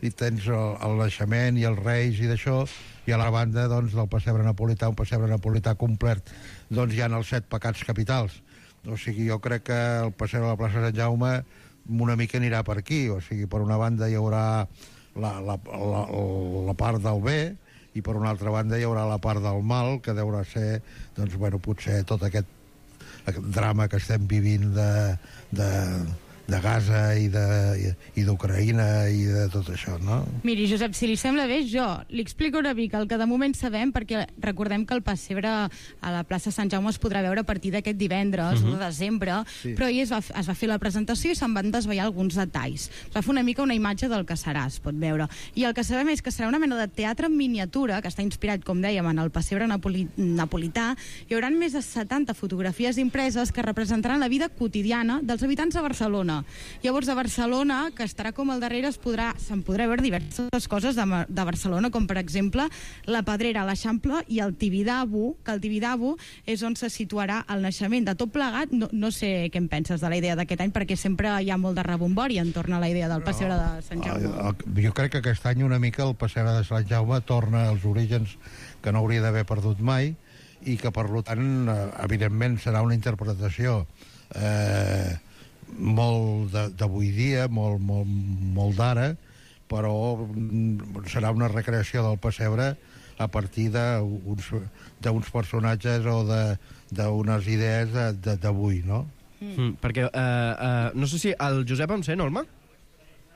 i tens el, el naixement i els reis i d'això, i a la banda doncs, del pessebre napolità, un pessebre napolità complet, doncs hi ha els set pecats capitals. O sigui, jo crec que el pessebre de la plaça Sant Jaume una mica anirà per aquí, o sigui, per una banda hi haurà la, la, la, la part del bé, i per una altra banda hi haurà la part del mal, que deurà ser, doncs, bueno, potser tot aquest, aquest drama que estem vivint de... de de Gaza i de, i d'Ucraïna i de tot això, no? Miri, Josep, si li sembla bé, jo li explico una mica el que de moment sabem, perquè recordem que el pessebre a la plaça Sant Jaume es podrà veure a partir d'aquest divendres, uh -huh. de desembre, sí. Però ahir es va, es va fer la presentació i se'n van desvetllar alguns detalls. Es va fer una mica una imatge del que serà, es pot veure. I el que sabem és que serà una mena de teatre en miniatura, que està inspirat, com dèiem, en el pessebre napoli, napolità. Hi haurà més de setanta fotografies impreses que representaran la vida quotidiana dels habitants de Barcelona. Llavors, a Barcelona, que estarà com al darrere, es podrà, se'n podrà veure diverses coses de, de Barcelona, com per exemple la Pedrera, l'Eixample i el Tibidabo, que el Tibidabo és on se situarà el naixement de tot plegat. No, no sé què en penses de la idea d'aquest any, perquè sempre hi ha molt de rebombori entorn a la idea del pessebre de Sant Jaume. Jo crec que aquest any una mica el pessebre de Sant Jaume torna als orígens que no hauria d'haver perdut mai, i que, per tant, evidentment serà una interpretació eh, molt d'avui dia, molt, molt, molt d'ara, però serà una recreació del pessebre a partir d'uns personatges o d'unes idees d'avui, no? Mm, perquè, uh, uh, no sé si el Josep em sent, Olma?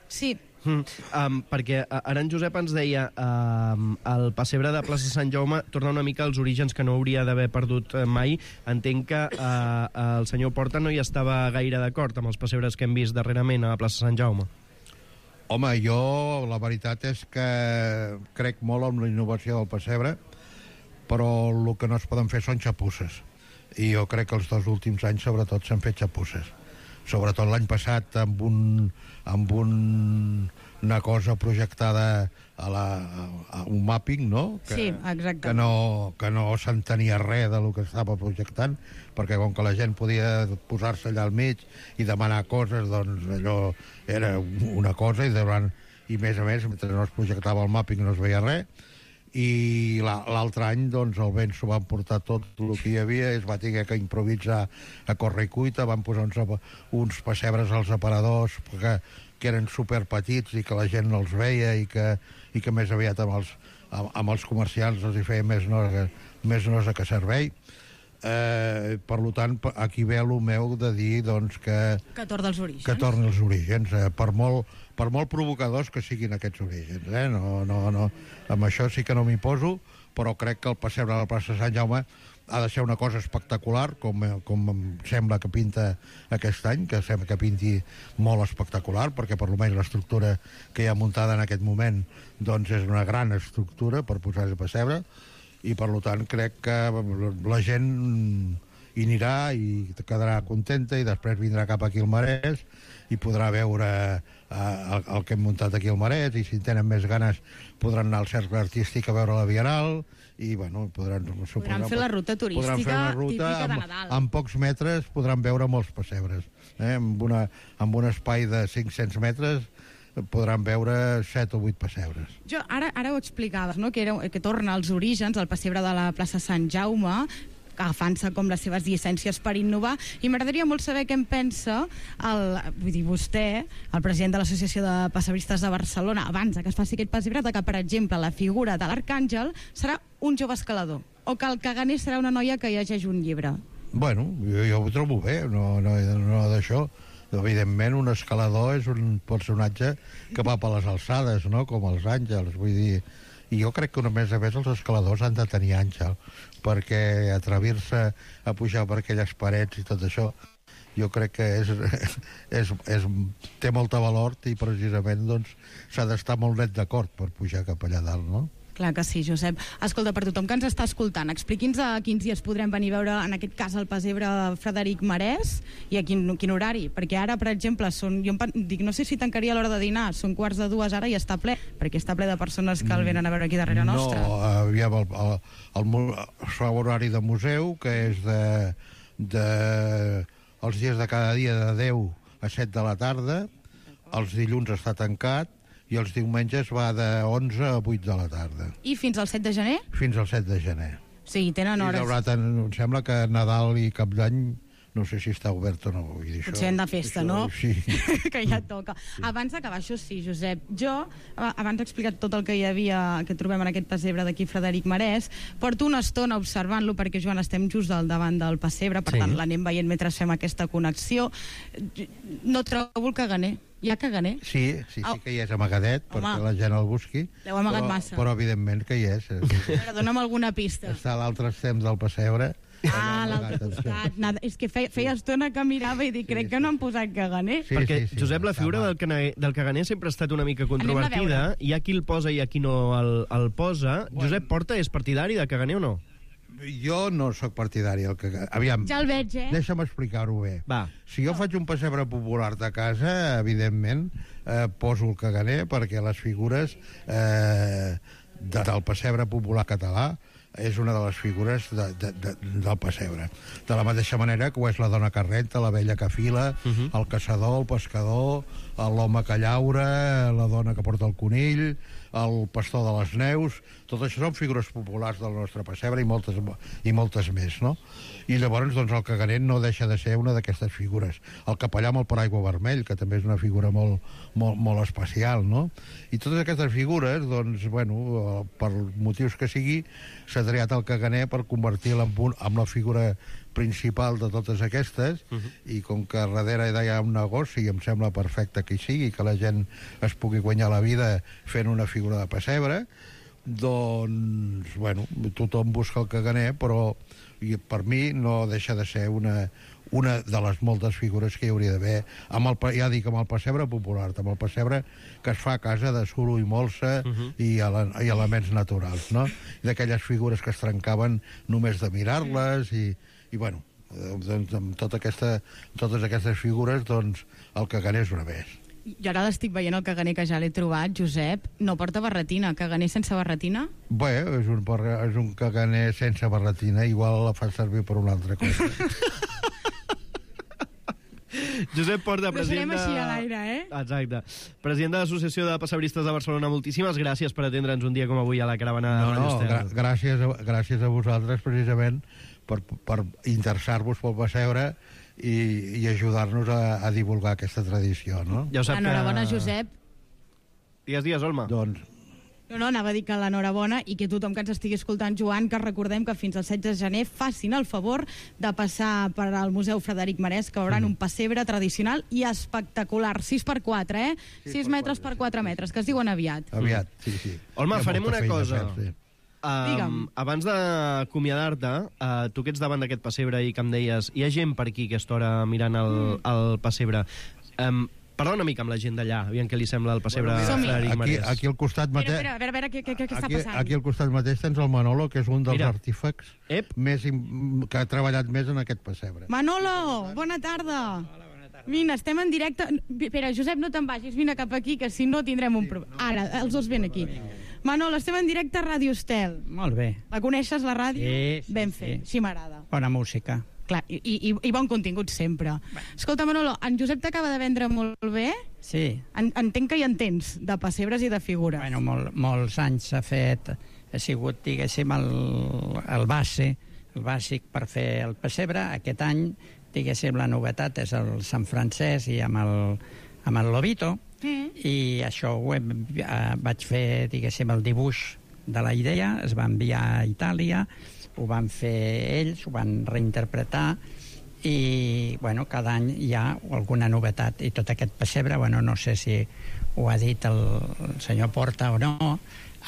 Sí. Mm, um, perquè ara en Josep ens deia um, el pessebre de plaça Sant Jaume torna una mica als orígens que no hauria d'haver perdut mai. Entenc que uh, el senyor Porta no hi estava gaire d'acord amb els pessebres que hem vist darrerament a la plaça Sant Jaume. Home, jo la veritat és que crec molt en la innovació del pessebre, però el que no es poden fer són xapusses, i jo crec que els dos últims anys sobretot s'han fet xapusses, sobretot l'any passat amb un, amb un, una cosa projectada a, la, a un mapping, no? Que, sí, exacte. Que no, que no s'entenia res del que estava projectant, perquè com que la gent podia posar-se allà al mig i demanar coses, doncs allò era una cosa, i, durant, i més a més, mentre no es projectava el mapping no es veia res, i l'altre any doncs, el vent s'ho van portar tot el que hi havia, es va haver que improvisar a corre i cuita, van posar uns, uns pessebres als aparadors que, que eren superpetits i que la gent no els veia, i que, i que més aviat amb els, amb, amb els comerciants els hi feia més nosa, més nosa que servei. Eh, per tant, aquí ve el meu de dir doncs, que... Que torna als orígens. Que torni als orígens, eh, per, molt, per molt provocadors que siguin aquests orígens. Eh? No, no, no. Amb això sí que no m'hi poso, però crec que el passebre de la plaça Sant Jaume ha de ser una cosa espectacular, com, com em sembla que pinta aquest any, que sembla que pinti molt espectacular, perquè per almenys l'estructura que hi ha muntada en aquest moment doncs és una gran estructura per posar el pessebre, i per tant crec que la gent hi anirà i quedarà contenta i després vindrà cap aquí al Marès i podrà veure eh, el, el que hem muntat aquí al Marès, i si tenen més ganes podran anar al Cercle Artístic a veure la Bienal i bueno, podran, podran fer la ruta turística podran fer una ruta, típica de amb, Nadal. en pocs metres podran veure molts pessebres, eh? amb, una, amb un espai de cinc-cents metres podran veure set o vuit pessebres. Jo ara, ara ho explicaves, no? que, era, que torna als orígens, al pessebre de la plaça Sant Jaume, agafant-se com les seves llicències per innovar, i m'agradaria molt saber què en pensa el, vull dir, vostè, el president de l'Associació de Pessebristes de Barcelona, abans que es faci aquest pessebre, que, per exemple, la figura de l'Arcàngel serà un jove escalador, o que el caganer serà una noia que llegeix un llibre. Bueno, jo, jo ho trobo bé, no, no, no d'això. Evidentment, un escalador és un personatge que va per les alçades, no? Com els àngels, vull dir... I jo crec que, a més a més, els escaladors han de tenir àngel, perquè atrevir-se a pujar per aquelles parets i tot això, jo crec que és, és, és, té molta valor i precisament doncs, s'ha d'estar molt net d'acord per pujar cap allà dalt, no? Clar que sí, Josep. Escolta, per tothom que ens està escoltant, expliqui'ns a quins dies podrem venir a veure, en aquest cas, el pessebre Frederic Marès i a quin, quin horari. Perquè ara, per exemple, són, jo em dic, no sé si tancaria a l'hora de dinar, són quarts de dues ara i està ple, perquè està ple de persones que el venen a veure aquí darrere no, nostra. No, aviam, el, el, el, el, el horari de museu, que és de, de els dies de cada dia de deu a set de la tarda, els dilluns està tancat, i els diumenges va de onze a vuit de la tarda. I fins al set de gener? Fins al set de gener. Sí, tenen hores. I haurà tant, em sembla que Nadal i Cap d'Any no sé si està obert o no. Vull dir, potser hem de festa, això, no? Sí. Que ja toca. Sí. Abans d'acabar, això sí, Josep, jo, abans he explicat tot el que hi havia, que trobem en aquest pessebre d'aquí Frederic Marès, porto una estona observant-lo, perquè, Joan, estem just al davant del pessebre, per sí. tant, l'anem veient mentre fem aquesta connexió. No trobo el caganer. Hi ha caganer? Sí, sí, sí que hi és amagadet, Home. perquè la gent el busqui. L'heu amagat però, massa. Però, evidentment, que hi és. Però dona'm alguna pista. Està a l'altre extrem del pessebre. Ah, l'altre costat. Nada, és que feia, feia estona que mirava i dic, crec sí, sí. que no han posat caganer. Sí, perquè, sí, sí, Josep, la figura del, cana, del caganer sempre ha estat una mica controvertida. Hi ha qui el posa i hi ha qui no el, el posa. Bueno. Josep Porta és partidari de caganer o no? Jo no sóc partidari del caganer. Aviam, ja el veig, eh? Deixa'm explicar-ho bé. Va. Si jo faig un pessebre popular de casa, evidentment, eh, poso el caganer perquè les figures eh, de, del pessebre popular català és una de les figures de, de, de, del pessebre. De la mateixa manera que ho és la dona que renta, la vella que fila, uh -huh. el caçador, el pescador, l'home que llaura, la dona que porta el conill, el pastor de les neus... Tot això són figures populars del nostre pessebre i moltes, i moltes més, no? I llavors, doncs, el caganer no deixa de ser una d'aquestes figures. El capellà amb el paraigua vermell, que també és una figura molt, molt, molt especial, no? I totes aquestes figures, doncs, bueno, per motius que sigui, s'ha triat el caganer per convertir-la en, un, en la figura principal de totes aquestes, uh -huh. i com que darrere hi ha un negoci, i em sembla perfecte que hi sigui, que la gent es pugui guanyar la vida fent una figura de pessebre, doncs, bueno, tothom busca el caganer, però i per mi no deixa de ser una, una de les moltes figures que hi hauria d'haver, amb el, ja dic, amb el pessebre popular, amb el pessebre que es fa a casa de suro i molsa uh -huh. i, ele, i elements naturals, no? I d'aquelles figures que es trencaven només de mirar-les i, i bueno, doncs, amb tota aquesta, totes aquestes figures, doncs, el caganer és una més. Jo ara l'estic veient el caganer que ja l'he trobat, Josep. No porta barretina. Caganer sense barretina? Bé, és un, és un caganer sense barretina. Igual la fa servir per una altra cosa. Josep Porta, president de... Deixarem així a l'aire, eh? Exacte. President de l'Associació de Pessebristes de Barcelona, moltíssimes gràcies per atendre'ns un dia com avui a la caravana. No, no, gra gràcies, a, gràcies a vosaltres, precisament, per, per interessar-vos pel pessebre i, i ajudar-nos a, a divulgar aquesta tradició, no? Ja ho sap Enhorabona, que... Josep. Digues, digues, Olma. Doncs No, no, anava a dir que l'enhorabona i que tothom que ens estigui escoltant, Joan, que recordem que fins al setze de gener facin el favor de passar per al Museu Frederic Marès, que veuran un pessebre tradicional i espectacular. sis per quatre, eh? sis metres per quatre metres, que es diuen aviat. Aviat, sí, sí. Olma, Hi ha farem molta una feina cosa. a fer, sí. Digue'm. Um, abans d'acomiadar-te, uh, tu que ets davant d'aquest pessebre i que em deies, hi ha gent per aquí a aquesta hora mirant el, Mm. el pessebre. Um, parla una mica amb la gent d'allà, aviam què li sembla el pessebre Bueno, Som-hi. Frederic Aquí, Marès. aquí al costat Espera, mateix... espera, a veure, a veure què, què, què està Aquí, passant. aquí al costat mateix tens el Manolo, que és un dels Mira. artífecs Ep. més im- que ha treballat més en aquest pessebre. Manolo, bona tarda. Vine, estem en directe. Espera, Josep, no te'n vagis, vine cap aquí, que si no tindrem un problema. Ara, els dos ven aquí. Manolo, estem en directe a Ràdio Estel. Molt bé. La coneixes, la ràdio? Sí, sí, Ben sí. fet, així m'agrada. Bona música. Clar, i, i, i bon contingut sempre. Escolta, Manolo, en Josep t'acaba de vendre molt bé. Sí. En, entenc que hi entens de pessebres i de figures. Bueno, molt, molts anys s'ha fet, ha sigut, diguéssim, el, el base, el bàsic per fer el pessebre. Aquest any, diguéssim, la novetat és el Sant Francesc i amb el, amb el Lobito, Mm. i això ho hem, eh, vaig fer, diguéssim, el dibuix de la idea, es va enviar a Itàlia, ho van fer ells, ho van reinterpretar, i, bueno, cada any hi ha alguna novetat, i tot aquest pessebre, bueno, no sé si ho ha dit el, el senyor Porta o no,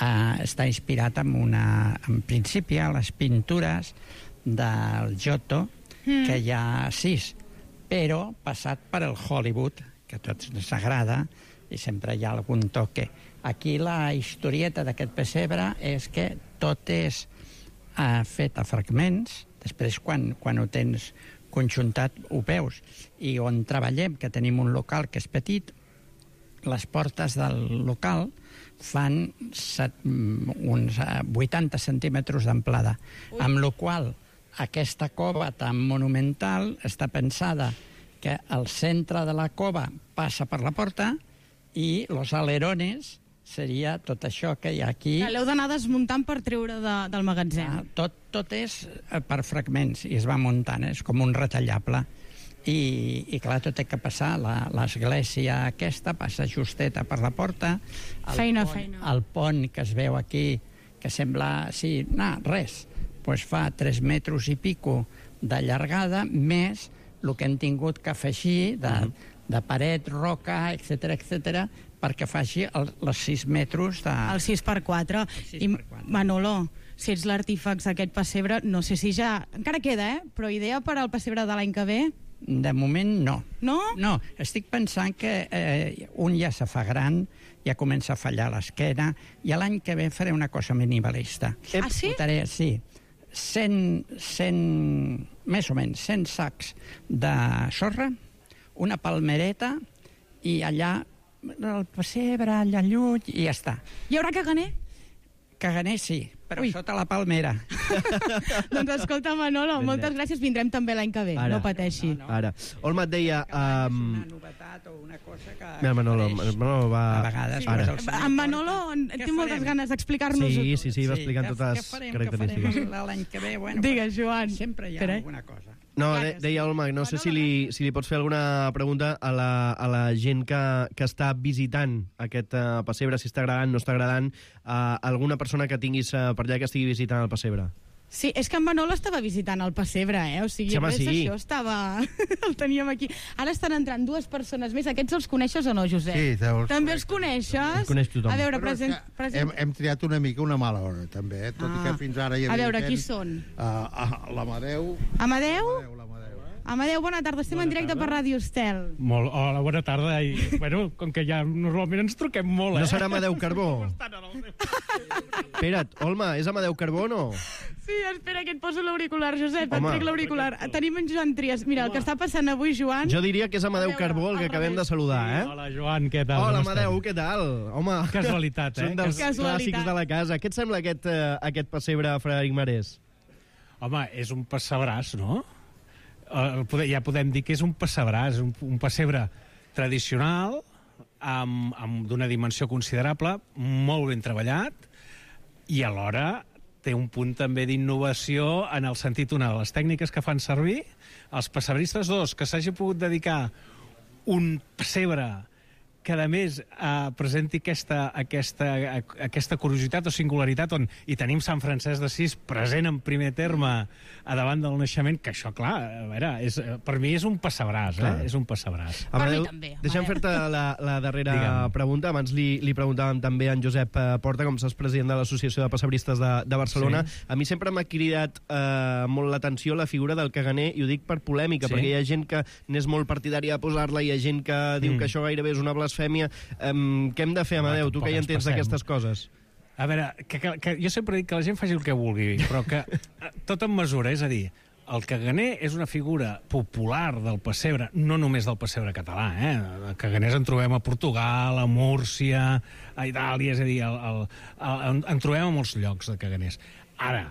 eh, està inspirat en una, en principi, a les pintures del Giotto, Mm. que hi ha sis, però passat per el Hollywood, que a tots ens agrada, i sempre hi ha algun toque. Aquí la historieta d'aquest pessebre és que tot és eh, fet a fragments, després quan, quan ho tens conjuntat ho veus, i on treballem, que tenim un local que és petit, les portes del local fan set, uns eh, vuitanta centímetres d'amplada, amb la qual aquesta cova tan monumental està pensada que el centre de la cova passa per la porta i los alerones seria tot això que hi ha aquí. L'heu d'anar desmuntant per treure de, del magatzem. Ah, tot, tot és eh, per fragments i es va muntant, és com un retallable. I, i clar, tot té que passar. La- L'església aquesta passa justeta per la porta. El Feina, pont, feina. El pont que es veu aquí, que sembla, sí, no, res, pues fa tres metres i pico de llargada, més el que hem tingut que afegir de, uh -huh. de paret, roca, etcètera, etcètera, perquè faci el, els sis metres de... El sis per quatre. sis I, per quatre. Manolo, si ets l'artífex d'aquest pessebre, no sé si ja... Encara queda, eh? Però idea per al pessebre de l'any que ve? De moment, no. No? No, estic pensant que eh, un ja se fa gran, ja comença a fallar l'esquena, i l'any que ve faré una cosa minimalista. Ah, sí? Portaré, sí, cent, cent, més o menys, cent sacs de sorra, una palmereta, i allà el pessebre, allà lluny, i ja està. Hi haurà caganer? Caganer sí, però Ui. sota la palmera. Doncs escolta, Manolo, Ben moltes bé. gràcies. Vindrem també l'any que ve, Ara. no pateixi. No, no. Ara, Olma et deia... És Um, una novetat o una cosa que... mira, Manolo, apareix Manolo va... a vegades. Ara. pues, el senyor En Manolo Porta. té Què moltes farem? ganes d'explicar-nos-ho. Sí, sí, sí, va explicant què- totes què les farem, característiques. Què farem l'any que ve? Bueno, Digues, pues, Joan. sempre hi ha Espera. alguna cosa. No, Clar de, que sí. deia Olma, no sé si li, si li pots fer alguna pregunta a la, a la gent que, que està visitant aquest uh, pessebre, si està agradant, no està agradant, uh, alguna persona que tinguis uh, per allà que estigui visitant el pessebre. Sí, és que en Manolo estava visitant el pessebre, eh? O sigui, Sí, home, res sí. d'això estava... el teníem aquí. Ara estan entrant dues persones més. Aquests els coneixes o no, Josep? Sí, els També els coneixes? Els coneix tothom. A veure, Però és present... que present... hem, hem triat una mica una mala hora, també, eh? Tot Ah. i que fins ara hi A havia veure, gent, qui són? Uh, uh, L'Amadeu... Amadeu? L'Amadeu, l'Amadeu. Amadeu, bona tarda. Estem en directe per Ràdio Estel. Molt, hola, bona tarda. I, bueno, com que ja normalment ens truquem molt, eh? No serà Amadeu Carbó? Espera't, Olma, és Amadeu Carbó o no? Sí, espera, que et poso l'auricular, Josep. Home. Et trec l'auricular. Tenim en Joan Trias. Mira, el que està passant avui, Joan... Jo diria que és Amadeu Carbó el que acabem de saludar, eh? Hola, Joan, què tal? Hola, Com Amadeu, estem? què tal? Home, Casualitat, eh? són dels Casualitat. clàssics de la casa. Què et sembla aquest, uh, aquest pessebre a Frederic Marès? Home, és un pessebràs, no? El, poder, ja podem dir que és un pessebràs, un, un pessebre tradicional, amb, amb d'una dimensió considerable, molt ben treballat, i alhora té un punt també d'innovació en el sentit una de les tècniques que fan servir els pessebristes dos, que s'hagi pogut dedicar un pessebre que a més eh, presenti aquesta, aquesta, aquesta curiositat o singularitat on hi tenim Sant Francesc d'Assís present en primer terme a davant del naixement, que això, clar, a veure, és, per mi és un passabràs, eh? És un passabràs. Amadeu, deixa'm fer-te la, la darrera Digue'm. pregunta. Abans li, li preguntàvem també a en Josep eh, Porta, com saps, president de l'Associació de Passabristes de, de Barcelona. Sí. A mi sempre m'ha cridat eh, molt l'atenció la figura del caganer, i ho dic per polèmica, Sí. perquè hi ha gent que n'és molt partidària de posar-la, hi ha gent que diu Mm. que això gairebé és una blasfèmia. Um, què hem de fer, Amadeu? Tu que ja ens entens passem. d'aquestes coses. A veure, que, que, que jo sempre dic que la gent faci el que vulgui, però que eh, tot en mesura, és a dir, el caganer és una figura popular del pessebre, no només del pessebre català, eh? Caganers en trobem a Portugal, a Múrcia, a Itàlia, és a dir, el, el, el, en, en trobem a molts llocs de caganers. Ara,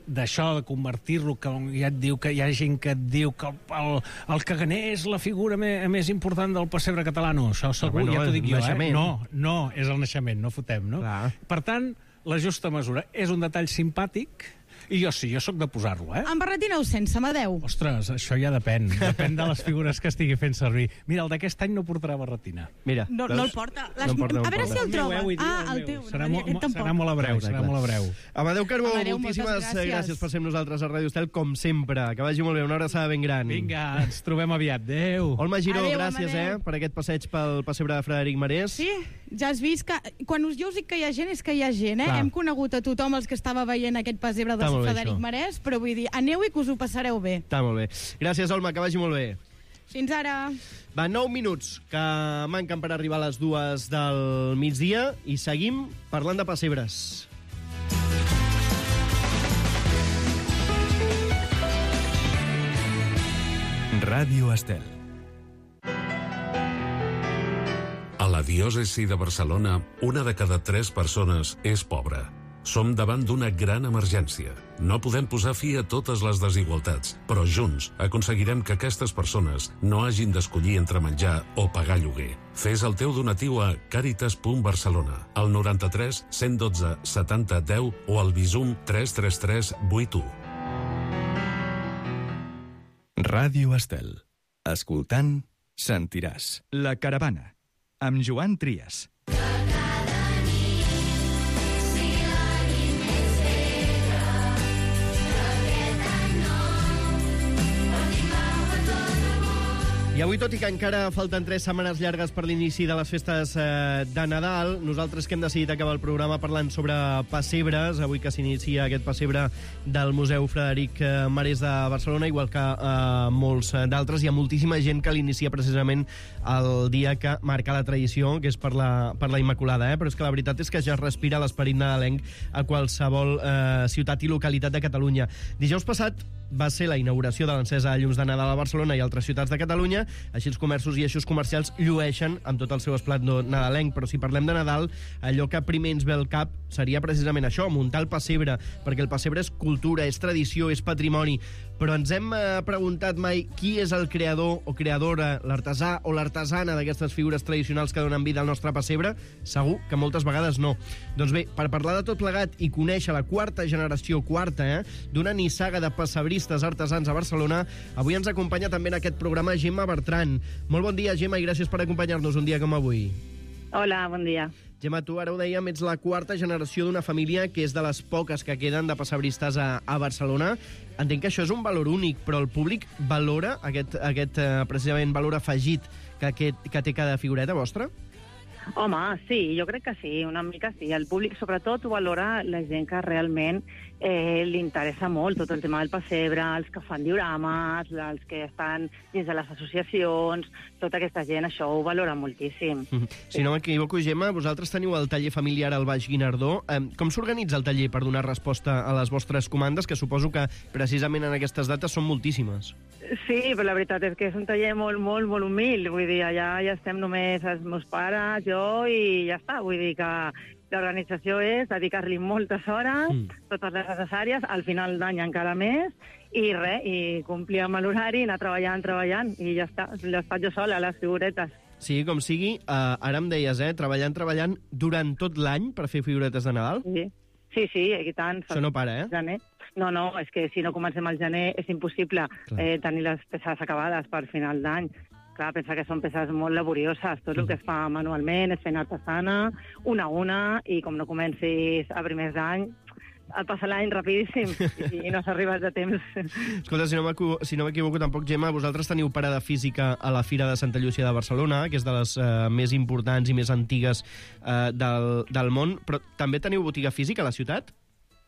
d'això de convertir-lo, que ja et diu que hi ha gent que et diu que el, el, el caganer és la figura me, més important del pessebre català, no, això segur, bueno, ja t'ho dic jo, naixement. eh? No, no, és el naixement, no fotem, no? Clar. Per tant, la justa mesura és un detall simpàtic, i jo sí, jo sóc de posar-lo, eh? En barretina o sense, Amadeu? Ostres, això ja depèn, depèn de les figures que estigui fent servir. Mira, el d'aquest any no portarà barretina. Mira, No, no el porta. Les... No el porta, no el a veure porta. si el troba. meu, vull dir, Ah, el el meu. teu. Serà, no, mo, aquest tampoc. serà molt a breu, serà molt a breu. Amadeu Carbó, Amadeu, moltíssimes moltes gràcies. gràcies per ser amb nosaltres a Ràdio Estel, com sempre. Que vagi molt bé, una abraçada ben gran. Vinga, ens trobem aviat. Adéu. Olma Giró, Adéu, gràcies Amadeu. eh, per aquest passeig pel pessebre de Frederic Marès. Sí, ja has vist que... Quan us, jo us dic que hi ha gent, és que hi ha gent, eh? Clar. Hem conegut a tothom els que estava veient aquest pessebre de Està molt bé, Frederic això. Marès, però vull dir, aneu i que us ho passareu bé. Està molt bé. Gràcies, Olma, que vagi molt bé. Fins ara. Va, nou minuts que manquen per arribar a les dues del migdia i seguim parlant de pessebres. Ràdio Estel. A la diòcesi de Barcelona, una de cada tres persones és pobra. Som davant d'una gran emergència. No podem posar fi a totes les desigualtats, però junts aconseguirem que aquestes persones no hagin d'escollir entre menjar o pagar lloguer. Fes el teu donatiu a caritas punt barcelona, al noranta-tres cent dotze setanta deu o al Bizum tres tres tres vuit u. Ràdio Estel. Escoltant, sentiràs. La Caravana, amb Joan Trias. I avui, tot i que encara falten tres setmanes llargues per l'inici de les festes eh, de Nadal, nosaltres que hem decidit acabar el programa parlant sobre pessebres, avui que s'inicia aquest pessebre del Museu Frederic eh, Marès de Barcelona, igual que eh, molts eh, d'altres, hi ha moltíssima gent que l'inicia precisament el dia que marca la tradició, que és per la, per la Immaculada, eh? Però és que la veritat és que ja es respira l'esperit nadalenc a qualsevol eh, ciutat i localitat de Catalunya. Dijous passat va ser la inauguració de l'encesa de llums de Nadal a Barcelona i altres ciutats de Catalunya. Així els comerços i eixos comercials llueixen amb tot el seu esplendor nadalenc. Però si parlem de Nadal, allò que primer ens ve al cap seria precisament això, muntar el pessebre, perquè el pessebre és cultura, és tradició, és patrimoni. Però ens hem eh, preguntat mai qui és el creador o creadora, l'artesà o l'artesana d'aquestes figures tradicionals que donen vida al nostre pessebre? Segur que moltes vegades no. Doncs bé, per parlar de tot plegat i conèixer la quarta generació, quarta, eh, d'una nissaga de pessebristes artesans a Barcelona, avui ens acompanya també en aquest programa Gemma Bertran. Molt bon dia, Gemma, i gràcies per acompanyar-nos un dia com avui. Hola, bon dia. Gemma, tu ara ho dèiem, ets la quarta generació d'una família que és de les poques que queden de pessebristes a, a Barcelona. Entenc que això és un valor únic, però el públic valora aquest, aquest eh, precisament valor afegit que, aquest, que té cada figureta vostra? Home, sí, jo crec que sí, una mica sí. El públic sobretot ho valora la gent que realment eh, li interessa molt tot el tema del pessebre, els que fan diorames, els que estan dins de les associacions, tota aquesta gent això ho valora moltíssim. Mm-hmm. Si no m'equivoco, Gemma, vosaltres teniu el taller familiar al Baix Guinardó. Eh, com s'organitza el taller per donar resposta a les vostres comandes, que suposo que precisament en aquestes dates són moltíssimes? Sí, però la veritat és que és un taller molt, molt, molt humil. Vull dir, allà ja estem només els meus pares, jo, i ja està. Vull dir que l'organització és dedicar-li moltes hores, mm. totes les necessàries, al final d'any encara més, i res, i complir amb l'horari, anar treballant, treballant, i ja està. Les faig jo sola, les figuretes. Sí, com sigui, eh, ara em deies, eh, treballant, treballant durant tot l'any per fer figuretes de Nadal? Sí, sí, sí, i tant. Això no para, eh? Gener. No, no, és que si no comencem al gener és impossible eh, tenir les peces acabades per final d'any. Clar, pensa que són peces molt laborioses. Tot el que es fa manualment és fent artesana, una a una, i com no comencis a primers d'any, et passa l'any rapidíssim i no s'arriba de temps. Escolta, si no m'equivo- si no m'equivoco tampoc, Gemma, vosaltres teniu parada física a la Fira de Santa Llúcia de Barcelona, que és de les eh, més importants i més antigues eh, del, del món, però també teniu botiga física a la ciutat?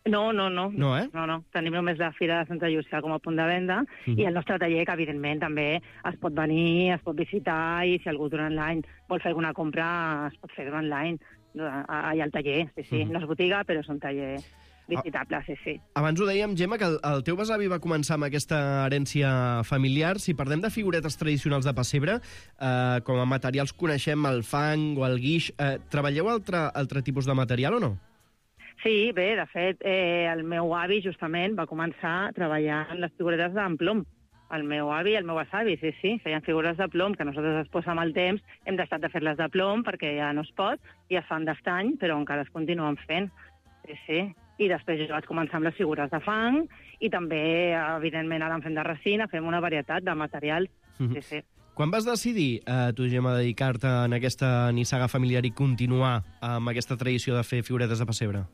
No, no, no. No, eh? No, no. Tenim només la Fira de Santa Llúcia com a punt de venda Mhm. i el nostre taller, que evidentment també es pot venir, es pot visitar, i si algú durant l'any vol fer alguna compra, es pot fer durant l'any allà al taller. Sí, sí. Mhm. No és botiga, però és un taller visitable, sí, sí. Abans ho dèiem, Gemma, que el, el teu besavi va començar amb aquesta herència familiar. Si parlem de figuretes tradicionals de pessebre, eh, com a materials coneixem el fang o el guix, eh, treballeu altre, altre tipus de material o no? Sí, bé, de fet, eh, el meu avi justament va començar treballant les figuretes d'en plom. El meu avi i el meu besavi, sí, sí, feien figures de plom, que nosaltres després amb el temps hem deixat de fer-les de plom perquè ja no es pot, i es fan d'estany, però encara es continuen fent. Sí, sí. I després jo vaig començar amb les figures de fang, i també, evidentment, ara en fem de resina, fem una varietat de materials. Sí, sí. Quan vas decidir, eh, tu, Gemma, dedicar-te en aquesta nissaga familiar i continuar amb aquesta tradició de fer figuretes de pessebre?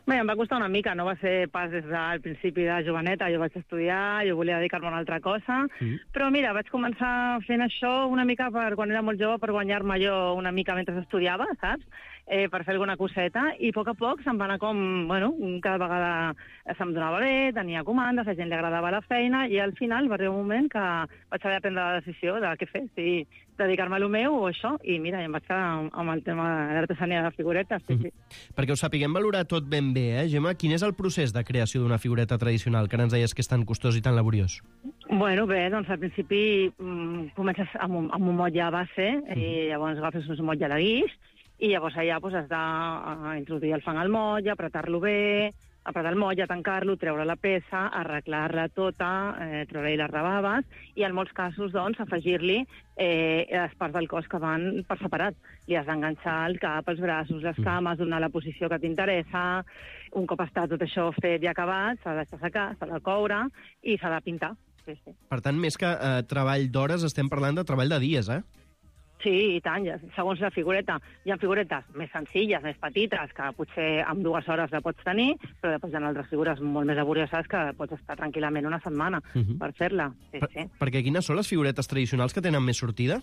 Bé, em va costar una mica, no va ser pas des del principi de joveneta, jo vaig estudiar, jo volia dedicar-me a una altra cosa, Mm. però mira, vaig començar fent això una mica per, quan era molt jove, per guanyar-me jo una mica mentre estudiava, saps? Eh, per fer alguna coseta, i a poc a poc se'm va anar com, bueno, cada vegada se'm donava bé, tenia comandes, a gent li agradava la feina, i al final va arribar un moment que vaig haver de prendre la decisió de què fer, si dedicar-me a lo meu o això, i mira, em vaig quedar amb el tema de l'artesania de figuretes, sí, sí. Perquè ho sapiguem valorar tot ben bé, eh, Gemma? Quin és el procés de creació d'una figureta tradicional, que ara ens deies que és tan costós i tan laboriós? Bueno, bé, doncs al principi mm, comences amb un, amb un motlle base, i llavors agafes un motlle de guix, i llavors allà pues, has d'introduir el fang al motlle, apretar-lo bé, apretar el motlle, tancar-lo, treure la peça, arreglar-la tota, eh, treure-hi les rebaves, i en molts casos, doncs, afegir-li eh, les parts del cos que van per separat. Li has d'enganxar el cap, els braços, les cames, donar la posició que t'interessa. Un cop està tot això fet i acabat, s'ha de deixar secar, s'ha de coure i s'ha de pintar. Sí, sí. Per tant, més que eh, treball d'hores, estem parlant de treball de dies, eh? Sí, i tant, ja, segons la figureta. Hi ha figuretes més senzilles, més petites, que potser amb dues hores la pots tenir, però després hi ha altres figures molt més laborioses que pots estar tranquil·lament una setmana Mhm. per fer-la. Sí, Per, sí. perquè quines són les figuretes tradicionals que tenen més sortida?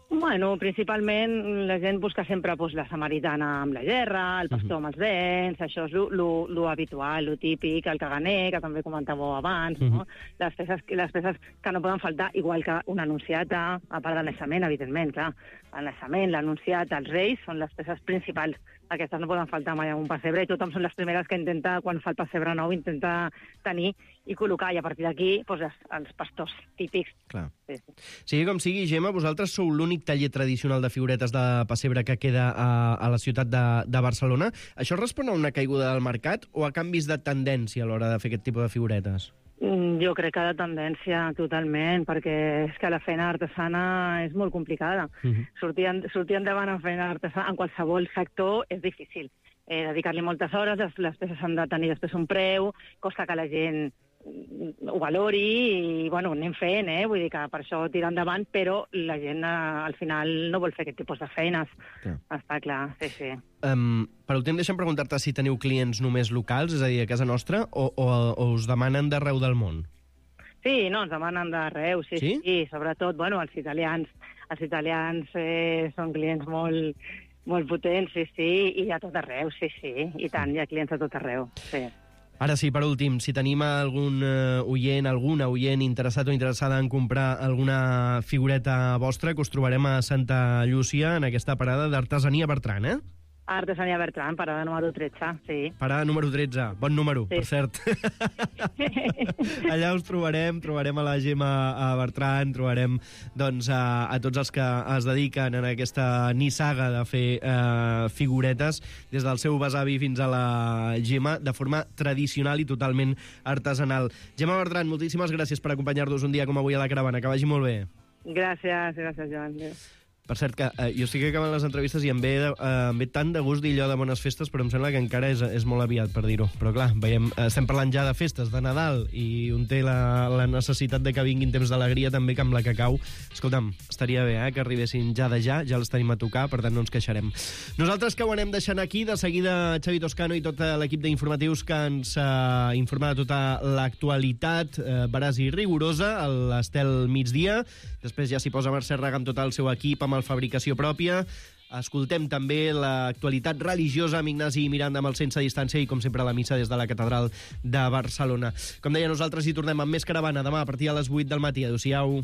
Bueno, principalment la gent busca sempre pues, la samaritana amb la gerra, el pastor amb els dents, això és lo, lo, lo habitual, lo típic, el caganer, que també comentàveu abans, no? Les peces, les peces que no poden faltar, igual que una anunciata, a part del naixement, evidentment, clar. El naixement, l'anunciata, els reis, són les peces principals. Aquestes no poden faltar mai en un pessebre, i tothom són les primeres que intenta, quan fa el pessebre nou, intenta tenir i col·locar, i a partir d'aquí, pues, els, els pastors típics. Clar. Sí, sí. Sigui com sigui, Gemma, vosaltres sou l'únic taller tradicional de figuretes de pessebre que queda a, a la ciutat de, de Barcelona. Això respon a una caiguda del mercat o a canvis de tendència a l'hora de fer aquest tipus de figuretes? Mm, Jo crec que de tendència, totalment, perquè és que la feina artesana és molt complicada. Mhm. Sortir, en, sortir endavant en feina artesana, en qualsevol sector, és difícil. Eh, dedicar-li moltes hores, les, les peces han de tenir després un preu, costa que la gent mm, ho valori, i bueno, anem fent, eh? Vull dir que per això tira endavant, però la gent eh, al final no vol fer aquest tipus de feines. Clar. Està clar, sí, sí. Um, per últim, deixa'm preguntar-te si teniu clients només locals, és a dir, a casa nostra, o, o, o us demanen d'arreu del món? Sí, no, ens demanen d'arreu, sí, Sí? sí, sí, sobretot, bueno, els italians. Els italians eh, són clients molt, molt potents, sí, sí, i a tot arreu, sí, sí, i tant, hi ha clients a tot arreu, sí. Ara sí, per últim, si tenim algun uh, oient, alguna oient interessat o interessada en comprar alguna figureta vostra, que us trobarem a Santa Llúcia, en aquesta parada d'Artesania Bertran, eh? Artesania Bertran, parada número tretze, sí. Parada número tretze, bon número, Sí. per cert. Allà us trobarem, trobarem a la Gemma a Bertran, trobarem doncs, a, a tots els que es dediquen en aquesta nissaga de fer eh, figuretes, des del seu besavi fins a la Gemma, de forma tradicional i totalment artesanal. Gemma Bertran, moltíssimes gràcies per acompanyar-nos un dia com avui a la caravana, que vagi molt bé. Gràcies, gràcies, Joan. Adéu. Per cert, que eh, jo estic acabant les entrevistes i em ve, eh, em ve tant de gust dir allò de bones festes, però em sembla que encara és, és molt aviat per dir-ho. Però clar, veiem, estem parlant ja de festes, de Nadal, i un té la, la necessitat de que vinguin temps d'alegria també, que amb la cacau, escolta'm, estaria bé eh, que arribessin ja de ja, ja els tenim a tocar, per tant no ens queixarem. Nosaltres que ho anem deixant aquí, de seguida Xavi Toscano i tot l'equip d'informatius que ens eh, informa de tota l'actualitat eh, veraç i rigorosa, a l'Estel Migdia. Després ja s'hi posa Mercè Raga amb tot el seu equip, amb el fabricació pròpia. Escoltem també l'actualitat religiosa amb Ignasi Miranda amb el Sense Distància i, com sempre, la missa des de la Catedral de Barcelona. Com deia, nosaltres hi tornem amb més Caravana demà a partir de les vuit del matí. Adéu-siau.